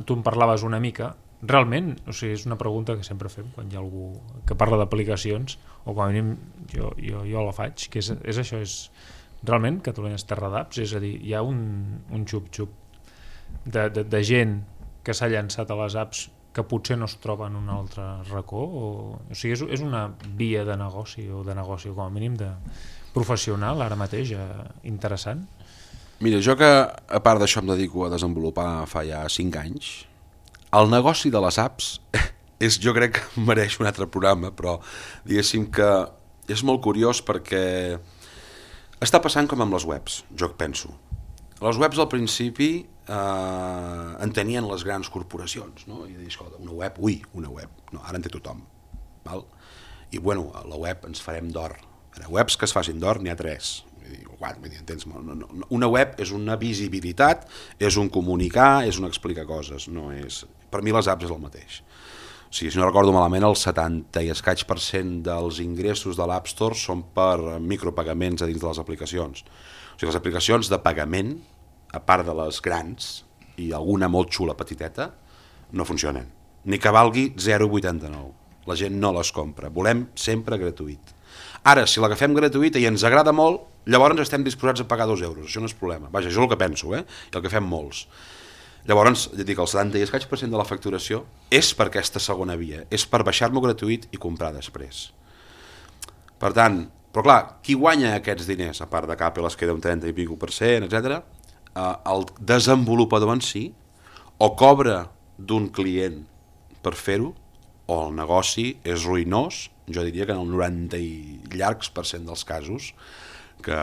Speaker 5: tu em parlaves una mica, realment, o sigui, és una pregunta que sempre fem quan hi ha algú que parla d'aplicacions, o com a mínim jo la faig, que és això, és realment Catalunya és terra d'apps, és a dir, hi ha un xup-xup de gent que s'ha llançat a les apps que potser no es troba en un altre racó, o sigui, és una via de negoci, o com a mínim de professional ara mateix, interessant.
Speaker 3: Mira, jo que a part d'això em dedico a desenvolupar fa ja 5 anys, el negoci de les apps jo crec que mereix un altre programa, però diguéssim que és molt curiós perquè està passant com amb les webs, jo penso. Les webs al principi en tenien les grans corporacions, no? I dir, escolta, una web, no, ara en té tothom, val? I bueno, a la web ens farem d'or. Webs que es facin d'or n'hi ha 3. Entens? Una web és una visibilitat, és un comunicar, és un explicar coses, no és... Per mi les apps és el mateix. O sigui, si no recordo malament, el 70 i escaig % dels ingressos de l'App Store són per micropagaments a dins de les aplicacions. O sigui, les aplicacions de pagament, a part de les grans, i alguna molt xula petiteta, no funcionen. Ni que valgui 0,89. La gent no les compra. Volem sempre gratuït. Ara, si l'agafem gratuïta i ens agrada molt, llavors estem disposats a pagar 2 euros. Això no és problema. Vaja, això és el que penso, i el que fem molts. Llavors, ja dic, el 70 i escaig % de la facturació és per aquesta segona via, és per baixar-m'ho gratuït i comprar després. Per tant, però clar, qui guanya aquests diners, a part de que Apple es queda un 30 i pico %, etc., el desenvolupador en si, o cobra d'un client per fer-ho, o el negoci és ruïnós, jo diria que en el 90 i llargs % dels casos, que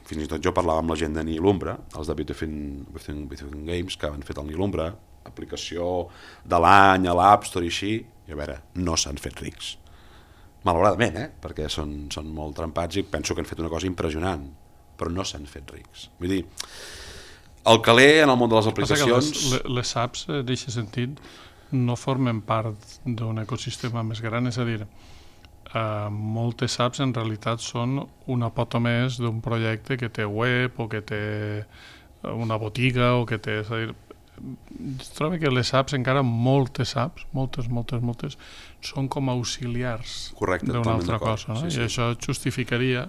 Speaker 3: fins i tot jo parlava amb la gent de Nilumbra, els de Within Games, que han fet el Nilumbra, aplicació de l'any a l'App Store i així, i a veure, no s'han fet rics. Malauradament, perquè són molt trempats i penso que han fet una cosa impressionant, però no s'han fet rics. Vull dir, el caler en el món de les aplicacions...
Speaker 2: Les apps, en aquest sentit, no formen part d'un ecosistema més gran, és a dir, moltes apps en realitat són una pota més d'un projecte que té web o que té una botiga o que té... És a dir, trobo que les apps, encara moltes apps, moltes, són com auxiliars d'una altra cosa, no? Sí. I això justificaria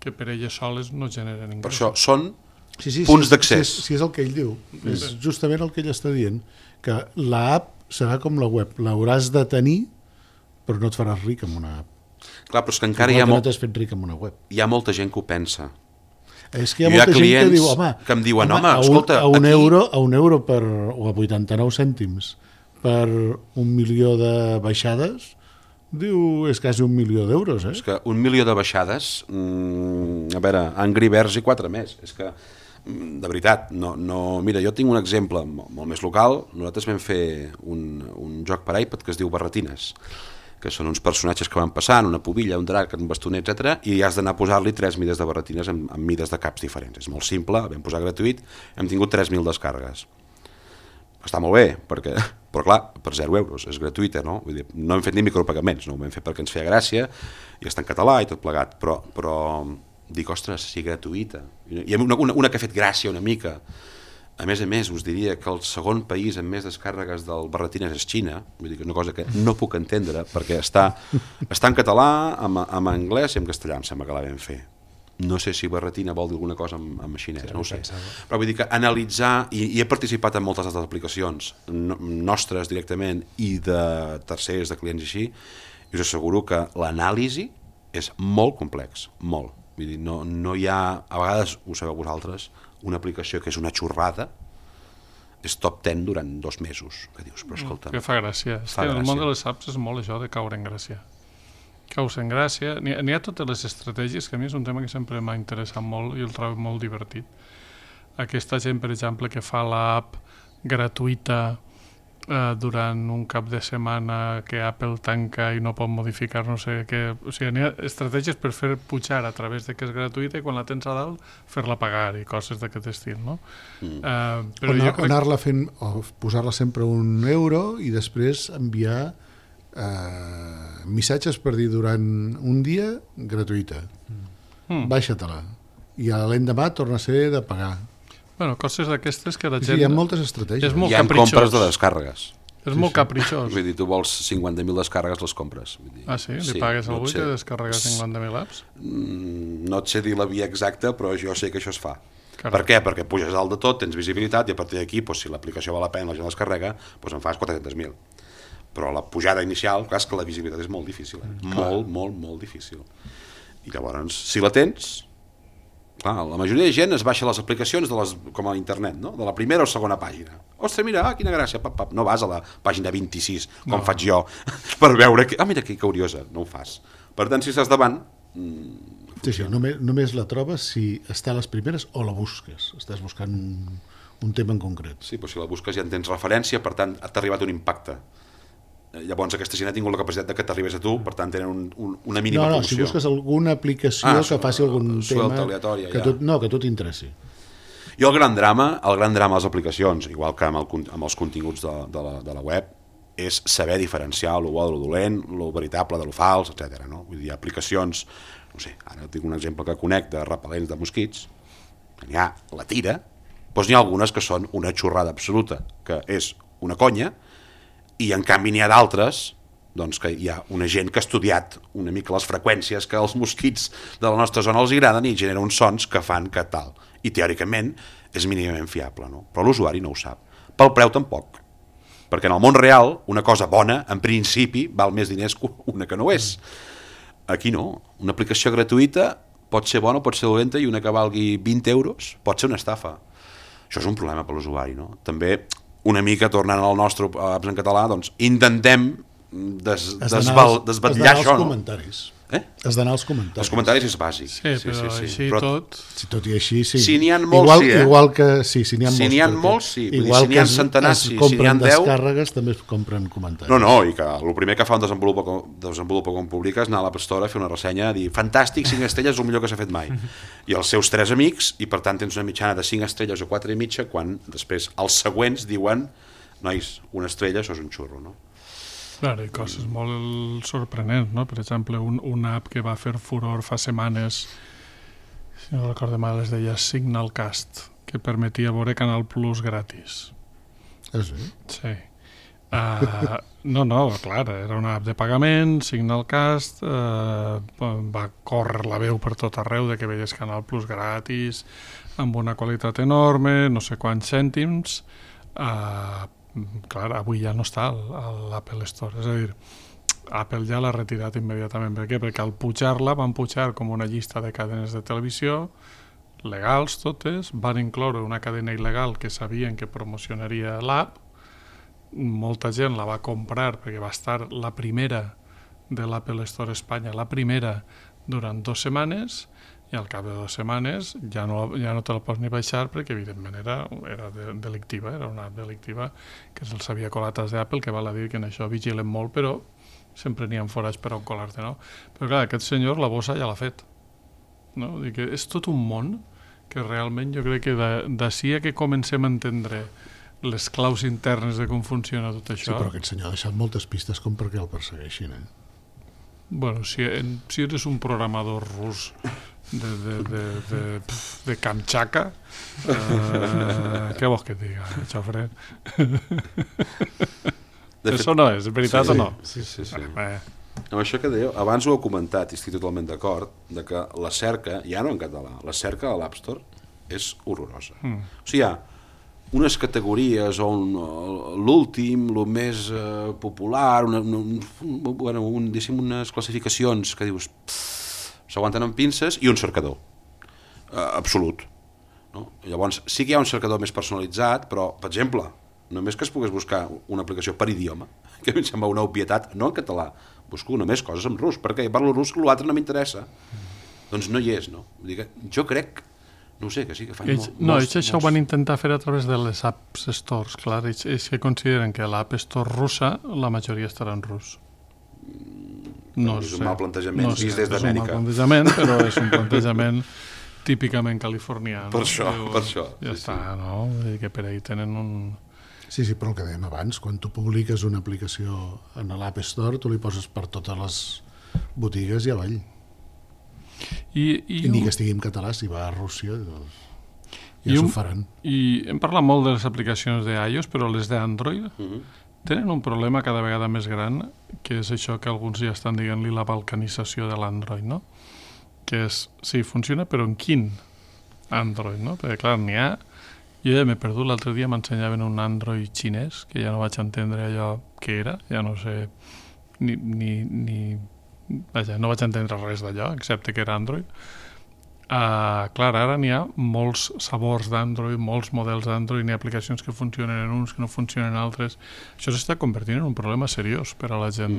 Speaker 2: que per elles soles no generen ingressos.
Speaker 3: Per això són punts d'accés.
Speaker 4: Si és el que ell diu, és justament el que ell està dient, que l'app serà com la web, l'hauràs de tenir, però no et faràs ric amb una app.
Speaker 3: Clar, però és que encara
Speaker 4: no t'has fet ric amb una web.
Speaker 3: Hi ha molta gent que ho pensa.
Speaker 4: És que hi ha molta gent que diu,
Speaker 3: que em diuen, escolta,
Speaker 4: a un euro per, o a 89 cèntims per 1 milió de baixades, diu, és quasi 1 milió d'euros.
Speaker 3: És que 1 milió de baixades, a veure, Angry Birds i 4 més. És que, de veritat, mira, jo tinc un exemple molt més local. Nosaltres vam fer un joc per iPad que es diu Barretines, que són uns personatges que van passant, una pubilla, un drac, un bastoner, etc. I has d'anar a posar-li 3 mides de barretines amb mides de caps diferents. És molt simple, vam posar gratuït, hem tingut 3.000 descàrregues. Està molt bé, però clar, per 0 euros, és gratuïta, no? Vull dir, no hem fet ni micropagaments, no ho vam fer perquè ens feia gràcia, i està en català i tot plegat, però dic, ostres, si gratuïta. I una que ha fet gràcia una mica. A més, us diria que el segon país amb més descàrregues del Barretines és Xina, vull dir que és una cosa que no puc entendre, perquè està en català, en anglès i en castellà, em sembla que la vam fer. No sé si Barretina vol dir alguna cosa en xinès, no ho sé. Però vull dir que analitzar, i he participat en moltes altres aplicacions nostres directament i de tercers, de clients i així, i us asseguro que l'anàlisi és molt complex, molt. Vull dir, no hi ha, a vegades, ho sabeu vosaltres, una aplicació que és una xorrada, és top 10 durant 2 mesos. Que dius, però escolta...
Speaker 2: Que fa gràcia. En el món de les apps és molt això de caure en gràcia. Caus en gràcia. N'hi ha totes les estratègies, que a mi és un tema que sempre m'ha interessat molt i el trobo molt divertit. Aquesta gent, per exemple, que fa l'app gratuïta durant un cap de setmana que Apple tanca i no pot modificar no sé què... O sigui, n'hi ha estratègies per fer pujar a través de que és gratuïta i quan la tens a dalt fer-la pagar i coses d'aquest estil, no?
Speaker 4: Però anar-la fent, o posar-la sempre €1 i després enviar missatges per dir durant un dia gratuïta. Baixa-te-la. I l'endemà torna a ser de pagar.
Speaker 2: Bueno, coses d'aquestes que la gent...
Speaker 4: Sí, hi ha moltes estratègies.
Speaker 3: Hi ha compres de descàrregues.
Speaker 2: És molt capritxós.
Speaker 3: Vull dir, tu vols 50.000 descàrregues, les compres. Vull dir,
Speaker 2: ah, sí? Li pagues a algú que descarrega 50.000 apps?
Speaker 3: No et sé dir la via exacta, però jo sé que això es fa. Per què? Perquè puges dalt de tot, tens visibilitat, i a partir d'aquí, si l'aplicació val la pena, la gent descarrega, en fas 400.000. Però la pujada inicial, clar, és que la visibilitat és molt difícil. Molt difícil. I llavors, si la tens... Clar, la majoria de gent es baixa les aplicacions com a internet, no? De la primera o segona pàgina. Ostres, mira, quina gràcia, no vas a la pàgina 26, com faig jo, per veure que... mira que curiosa, no ho fas. Per tant, si estàs davant...
Speaker 4: Sí, només la trobes si està a les primeres o la busques. Estàs buscant un tema en concret.
Speaker 3: Sí, però si la busques ja en tens referència, per tant, t'ha arribat un impacte. Llavors aquesta gent ha tingut la capacitat que t'arribés a tu, per tant tenen una mínima promoció.
Speaker 4: Si busques alguna aplicació que faci algun tema que tu t'interessi.
Speaker 3: Jo el gran drama de les aplicacions, igual que amb els continguts de la web, és saber diferenciar lo bo de lo dolent, lo veritable de lo fals, etc. Vull dir, hi ha aplicacions, no sé, ara tinc un exemple que conec de repel·lents de mosquits, que n'hi ha la tira, doncs n'hi ha algunes que són una xorrada absoluta, que és una conya, i en canvi n'hi ha d'altres doncs que hi ha una gent que ha estudiat una mica les freqüències que els mosquits de la nostra zona els agraden i genera uns sons que fan que tal. I teòricament és mínimament fiable, no? Però l'usuari no ho sap. Pel preu tampoc. Perquè en el món real una cosa bona, en principi, val més diners que una que no és. Aquí no. Una aplicació gratuïta pot ser bona, pot ser dolenta, i una que valgui 20 euros pot ser una estafa. Això és un problema per l'usuari, no? També... una mica tornant al nostre apps en català, doncs intentem desvetllar això. Has
Speaker 4: d'anar als comentaris.
Speaker 3: Els comentaris és bàsic.
Speaker 2: Sí, però així tot...
Speaker 4: Si tot i així, sí.
Speaker 3: Si n'hi ha molts, sí,
Speaker 4: Igual que... Sí, si
Speaker 3: n'hi ha molts, sí.
Speaker 4: Igual
Speaker 3: que si n'hi ha 10...
Speaker 4: descàrregues, també es compren comentaris.
Speaker 3: No, i que el primer que fa un desenvolupa com publica és anar a l'App Store a fer una ressenya, a dir, fantàstic, 5 estrelles, és el millor que s'ha fet mai. I els seus 3 amics, i per tant tens una mitjana de 5 estrelles o 4 i mitja, quan després els següents diuen, nois, una estrella, això és un xurro, no?
Speaker 2: Clar, i coses molt sorprenents, no? Per exemple, una app que va fer furor fa setmanes, si no recordo mal, es deia Signalcast, que permetia veure Canal Plus gratis.
Speaker 4: És bé?
Speaker 2: Sí. No, clar, era una app de pagament, Signalcast, va córrer la veu per tot arreu de que veies Canal Plus gratis, amb una qualitat enorme, no sé quants cèntims, clar, avui ja no està a l'Apple Store, és a dir, Apple ja l'ha retirat immediatament. Per què? Perquè al pujar-la van pujar com una llista de cadenes de televisió, legals totes, van incloure una cadena il·legal que sabien que promocionaria l'app, molta gent la va comprar perquè va estar la primera de l'Apple Store Espanya, la primera durant 2 setmanes, i al cap de 2 setmanes ja no te la pots ni baixar perquè evidentment era delictiva, era una app delictiva que se'ls havia colat als d'Apple, que val a dir que en això vigilen molt, però sempre n'hi ha forats per on colar-te, no? Però clar, aquest senyor la bossa ja l'ha fet, no? Vull dir que és tot un món que realment jo crec que d'ací a que comencem a entendre les claus internes de com funciona tot això...
Speaker 4: Sí, però aquest senyor ha deixat moltes pistes com perquè el persegueixin,
Speaker 2: Bueno, si eres un programador rus de Kamchatka, què vols que et diga, Xofre? Això no és veritat o no?
Speaker 3: Sí. Amb això que dèieu, abans ho heu comentat i estic totalment d'acord, de que la cerca, ja no en català, la cerca a l'App Store és horrorosa. O sigui, hi ha unes categories on l'últim, el més popular, unes classificacions que dius s'aguanten amb pinces, i un cercador absolut, no? Llavors sí que hi ha un cercador més personalitzat, però per exemple només que es pogués buscar una aplicació per idioma, que a mi em sembla una obvietat, no en català, busco només coses en rus, perquè parlo rus, l'altre no m'interessa, doncs no hi és, no? Vull dir que jo crec, no ho sé, que sí que fan
Speaker 2: ells això ho van intentar fer a través de les apps stores, clar, ells que consideren que l'App Store russa la majoria estarà en rus. No
Speaker 3: és un mal plantejament, vist des d'Amèrica.
Speaker 2: És un mal plantejament, però és un plantejament típicament californià.
Speaker 3: Per això.
Speaker 2: Ja està, no? Vull dir que per ahí tenen un...
Speaker 4: Sí, però el que dèiem abans, quan tu publiques una aplicació en l'App Store, tu li poses per totes les botigues i avall. I ni que estigui en català, si va a Rússia, doncs ja s'ho faran.
Speaker 2: I hem parlat molt de les aplicacions d'iOS, però les d'Android tenen un problema cada vegada més gran, que és això que alguns ja estan dient-li la balcanització de l'Android, no? Que és, sí, funciona, però en quin Android, no? Perquè clar, n'hi ha... Jo ja m'he perdut, l'altre dia m'ensenyaven un Android xinès, que ja no vaig entendre allò que era, ja no sé Vaja, no vaig entendre res d'allò, excepte que era Android. Clar, ara n'hi ha molts sabors d'Android, molts models d'Android, n'hi ha aplicacions que funcionen en uns, que no funcionen en altres. Això s'està convertint en un problema seriós per a la gent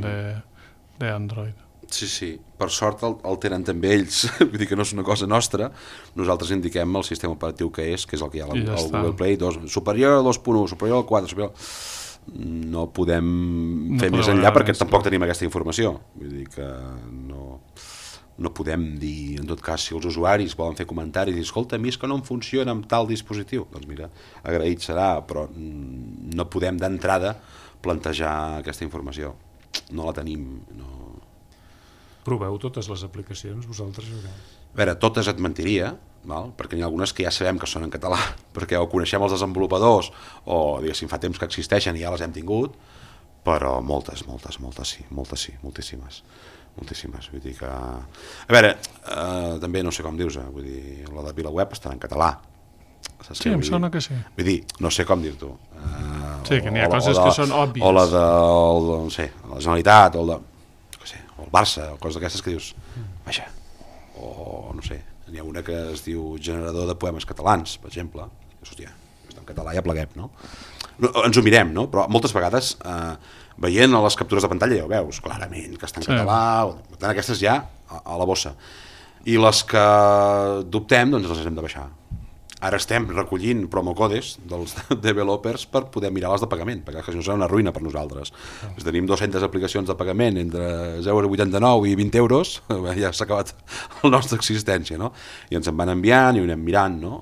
Speaker 2: d'Android.
Speaker 3: Sí. Per sort el tenen també ells, vull dir que no és una cosa nostra. Nosaltres indiquem el sistema operatiu que és el que hi ha al Google Play, superior al 2.1, superior al 4, superior... No podem fer més enllà perquè tampoc tenim aquesta informació. Vull dir que no podem dir, en tot cas, si els usuaris volen fer comentaris i dir, escolta, a mi és que no em funciona amb tal dispositiu. Doncs mira, agraït serà, però no podem d'entrada plantejar aquesta informació. No la tenim.
Speaker 5: Proveu totes les aplicacions, vosaltres?
Speaker 3: A veure, totes et mentiria, perquè n'hi ha algunes que ja sabem que són en català, perquè o coneixem els desenvolupadors o, diguéssim, fa temps que existeixen i ja les hem tingut, però moltes sí, moltíssimes. Vull dir que... A veure, també no sé com dius, vull dir, la de VilaWeb estarà en català.
Speaker 2: Sí, em sona que sí.
Speaker 3: Vull dir, no sé com dir-t'ho.
Speaker 2: Sí, que n'hi ha coses que són òbvies.
Speaker 3: O la de, no sé, la Generalitat, o el Barça, o coses d'aquestes que dius, vaja, o no sé, n'hi ha una que es diu generador de poemes catalans, per exemple. Hòstia, està en català, ja pleguem, no? Ens ho mirem, no? Però moltes vegades, veient a les captures de pantalla, ja ho veus clarament que està en català, per tant, aquestes ja a la bossa. I les que dubtem, doncs les hem de baixar. Ara estem recollint promocodes dels developers per poder mirar les de pagament, perquè això serà una ruïna per nosaltres. Tenim 200 aplicacions de pagament entre 0,89 i 20 euros, ja s'ha acabat la nostra existència, no? I ens en van enviant i ho anem mirant, no?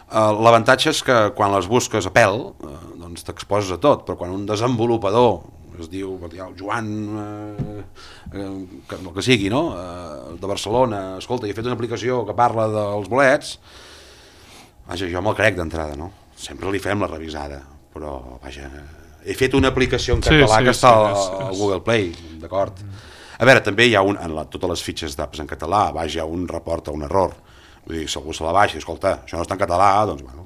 Speaker 3: L'avantatge és que quan les busques a pèl, doncs t'exposes a tot, però quan un desenvolupador es diu Joan, el que sigui, no? De Barcelona, escolta, he fet una aplicació que parla dels bolets, vaja, jo me'l crec d'entrada, no? Sempre li fem la revisada, però vaja, he fet una aplicació en català que està al Google Play, d'acord? A veure, també hi ha totes les fitxes d'apps en català, vaja, un reporta un error, vull dir, si algú se la baixa, escolta, això no està en català, doncs bueno,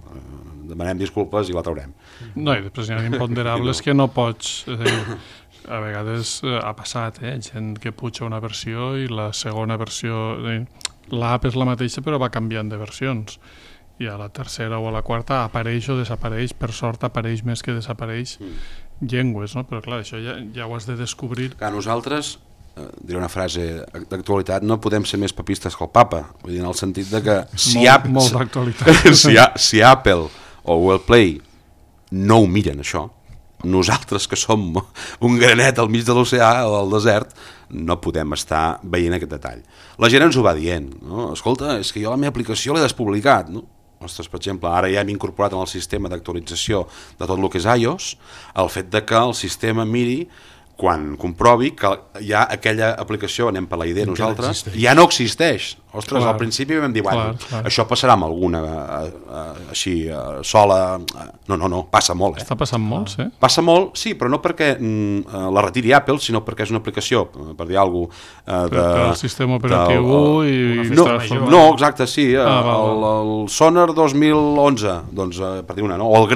Speaker 3: demanem disculpes i la traurem.
Speaker 2: No, i després hi ha imponderables que no pots... a vegades ha passat, gent que puja una versió i la segona versió... L'app és la mateixa però va canviant de versions. I a la tercera o a la quarta apareix o desapareix, per sort apareix més que desapareix llengües, no? Però clar, això ja ho has de descobrir.
Speaker 3: Clar, nosaltres, diré una frase d'actualitat, no podem ser més papistes que el papa, vull dir, en el sentit de que
Speaker 2: molt d'actualitat.
Speaker 3: si Apple o Google Play no ho miren això, nosaltres que som un granet al mig de l'oceà o del desert no podem estar veient aquest detall. La gent ens ho va dient, no? Escolta, és que jo la meva aplicació l'he despublicat, no? Ostres, per exemple, ara ja hem incorporat en el sistema d'actualització de tot el que és iOS el fet de que el sistema miri quan comprovi que ja aquella aplicació, anem per la idea nosaltres, ja no existeix. Ostres, al principi vam dir, bueno, això passarà amb alguna així sola... No, passa molt.
Speaker 2: Està passant molt, sí?
Speaker 3: Passa molt, sí, però no perquè la retiri Apple, sinó perquè és una aplicació, per dir alguna cosa...
Speaker 2: Per al sistema operatiu i...
Speaker 3: No, exacte, sí, el Sonar 2011, doncs, per dir una, no? O el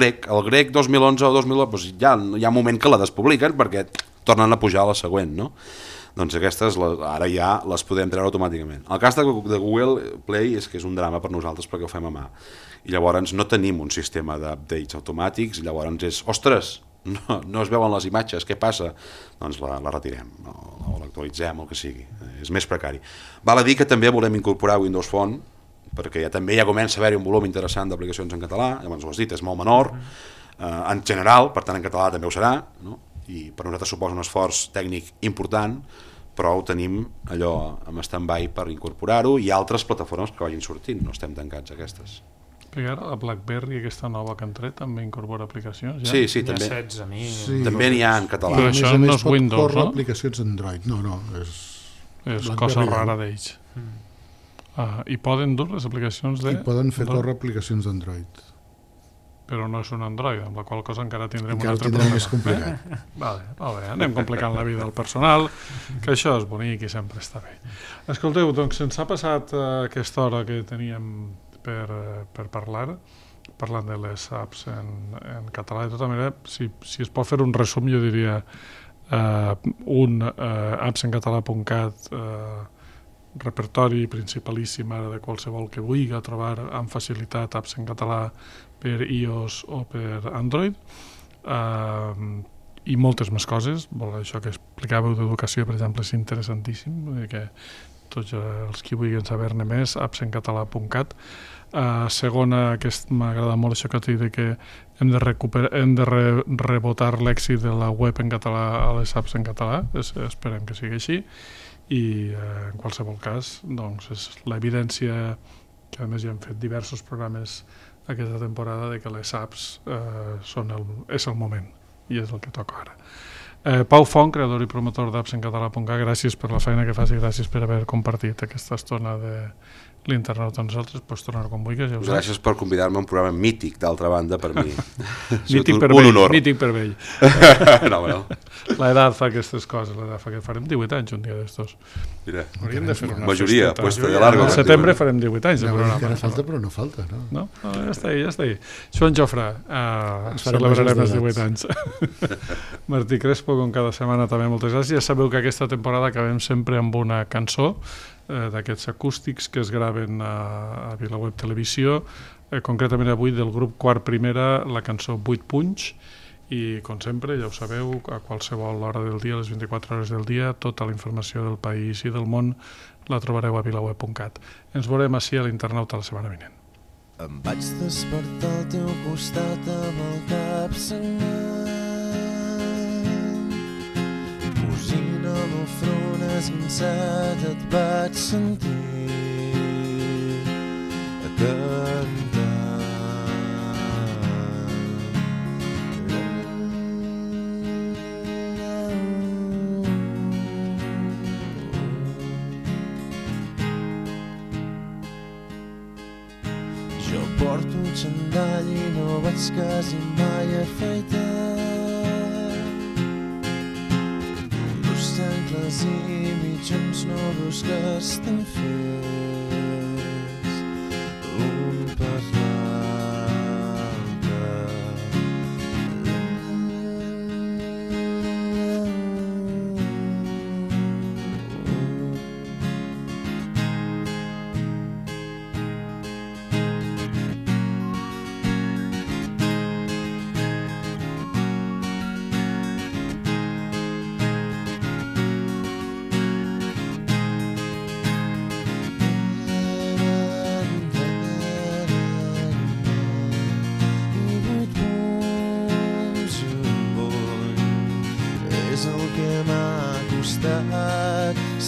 Speaker 3: Grec 2011 o 2012, doncs ja hi ha un moment que la despubliquen perquè tornen a pujar a la següent, no? Doncs aquestes ara ja les podem treure automàticament. El cas de Google Play és que és un drama per nosaltres perquè ho fem a mà. I llavors no tenim un sistema d'updates automàtics, i llavors és, ostres, no es veuen les imatges, què passa? Doncs la retirem, o l'actualitzem, el que sigui. És més precari. Val a dir que també volem incorporar Windows Phone, perquè també ja comença a haver-hi un volum interessant d'aplicacions en català, llavors ho has dit, és molt menor, en general, per tant en català també ho serà, no? I per nosaltres suposa un esforç tècnic important, però ho tenim allò amb stand-by per incorporar-ho i altres plataformes que vagin sortint, no estem tancats a aquestes.
Speaker 2: Perquè ara la BlackBerry, aquesta nova que han tret, també incorpora aplicacions? Ja?
Speaker 3: Sí, també. També n'hi ha en català.
Speaker 2: Però això no és Windows, no?
Speaker 4: Aplicacions Android, no.
Speaker 2: És cosa rara d'ells. I poden dur les aplicacions de...
Speaker 4: I poden fer córrer aplicacions d'Android.
Speaker 2: Però no és un Android, amb la qual cosa encara tindrem un altre problema.
Speaker 4: Més complicat.
Speaker 2: Vale, anem complicant la vida del personal, que això és bonic i sempre està bé. Escolteu, doncs se'ns ha passat aquesta hora que teníem per parlar, parlant de les apps en català. De tota manera, si es pot fer un resum, jo diria appsencatalà.cat, repertori principalíssim ara de qualsevol que vulgui trobar amb facilitat apps en català per iOS o per Android, i moltes més coses. Això que explicàveu d'educació, per exemple, és interessantíssim, que tots els que vulguin saber-ne més, appsencatalà.cat. Segona, que m'agrada molt això que t'he dit, que hem de rebotar l'èxit de la web en català a les apps en català, esperem que sigui així, i en qualsevol cas doncs és l'evidència que a més ja hem fet diversos programes aquesta temporada de que les apps és el moment i és el que toca ara. Pau Font, creador i promotor d'apps en català.cat, gràcies per la feina que fas i gràcies per haver compartit aquesta estona de l'internauta amb nosaltres. Pots tornar quan vulguis.
Speaker 3: Gràcies per convidar-me a un programa mític, d'altra banda, per mi.
Speaker 2: Mític per
Speaker 3: un
Speaker 2: vell,
Speaker 3: honor.
Speaker 2: Mític per vell.
Speaker 3: No.
Speaker 2: L'edat fa aquestes coses, farem 18 anys un dia d'estos.
Speaker 3: Mira,
Speaker 2: hauríem de fer una
Speaker 3: majoria,
Speaker 2: festeta.
Speaker 3: puesta de largo.
Speaker 2: Al setembre farem 18 anys de programa.
Speaker 4: Encara falta, però no falta, no?
Speaker 2: No, ja està ahí. Joan Jofre, celebrarem els 18 anys. Martí Crespo, com cada setmana també, moltes gràcies. Ja sabeu que aquesta temporada acabem sempre amb una cançó d'aquests acústics que es graven a VilaWeb Televisió, concretament avui del grup Quart Primera, la cançó 8 punys, i com sempre, ja ho sabeu, a qualsevol hora del dia, a les 24 hores del dia, tota la informació del país i del món la trobareu a vilaweb.cat. Ens veurem així a l'internauta la setmana vinent.
Speaker 7: Em vaig despertar al teu costat amb el cap sagnant, cosint el meu front esguinçat et vaig sentir a cantar. Jo porto xandall i no vaig quasi mai afaitar, dos sengles i mitjons noves que estan fets un per l'altre.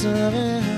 Speaker 7: saber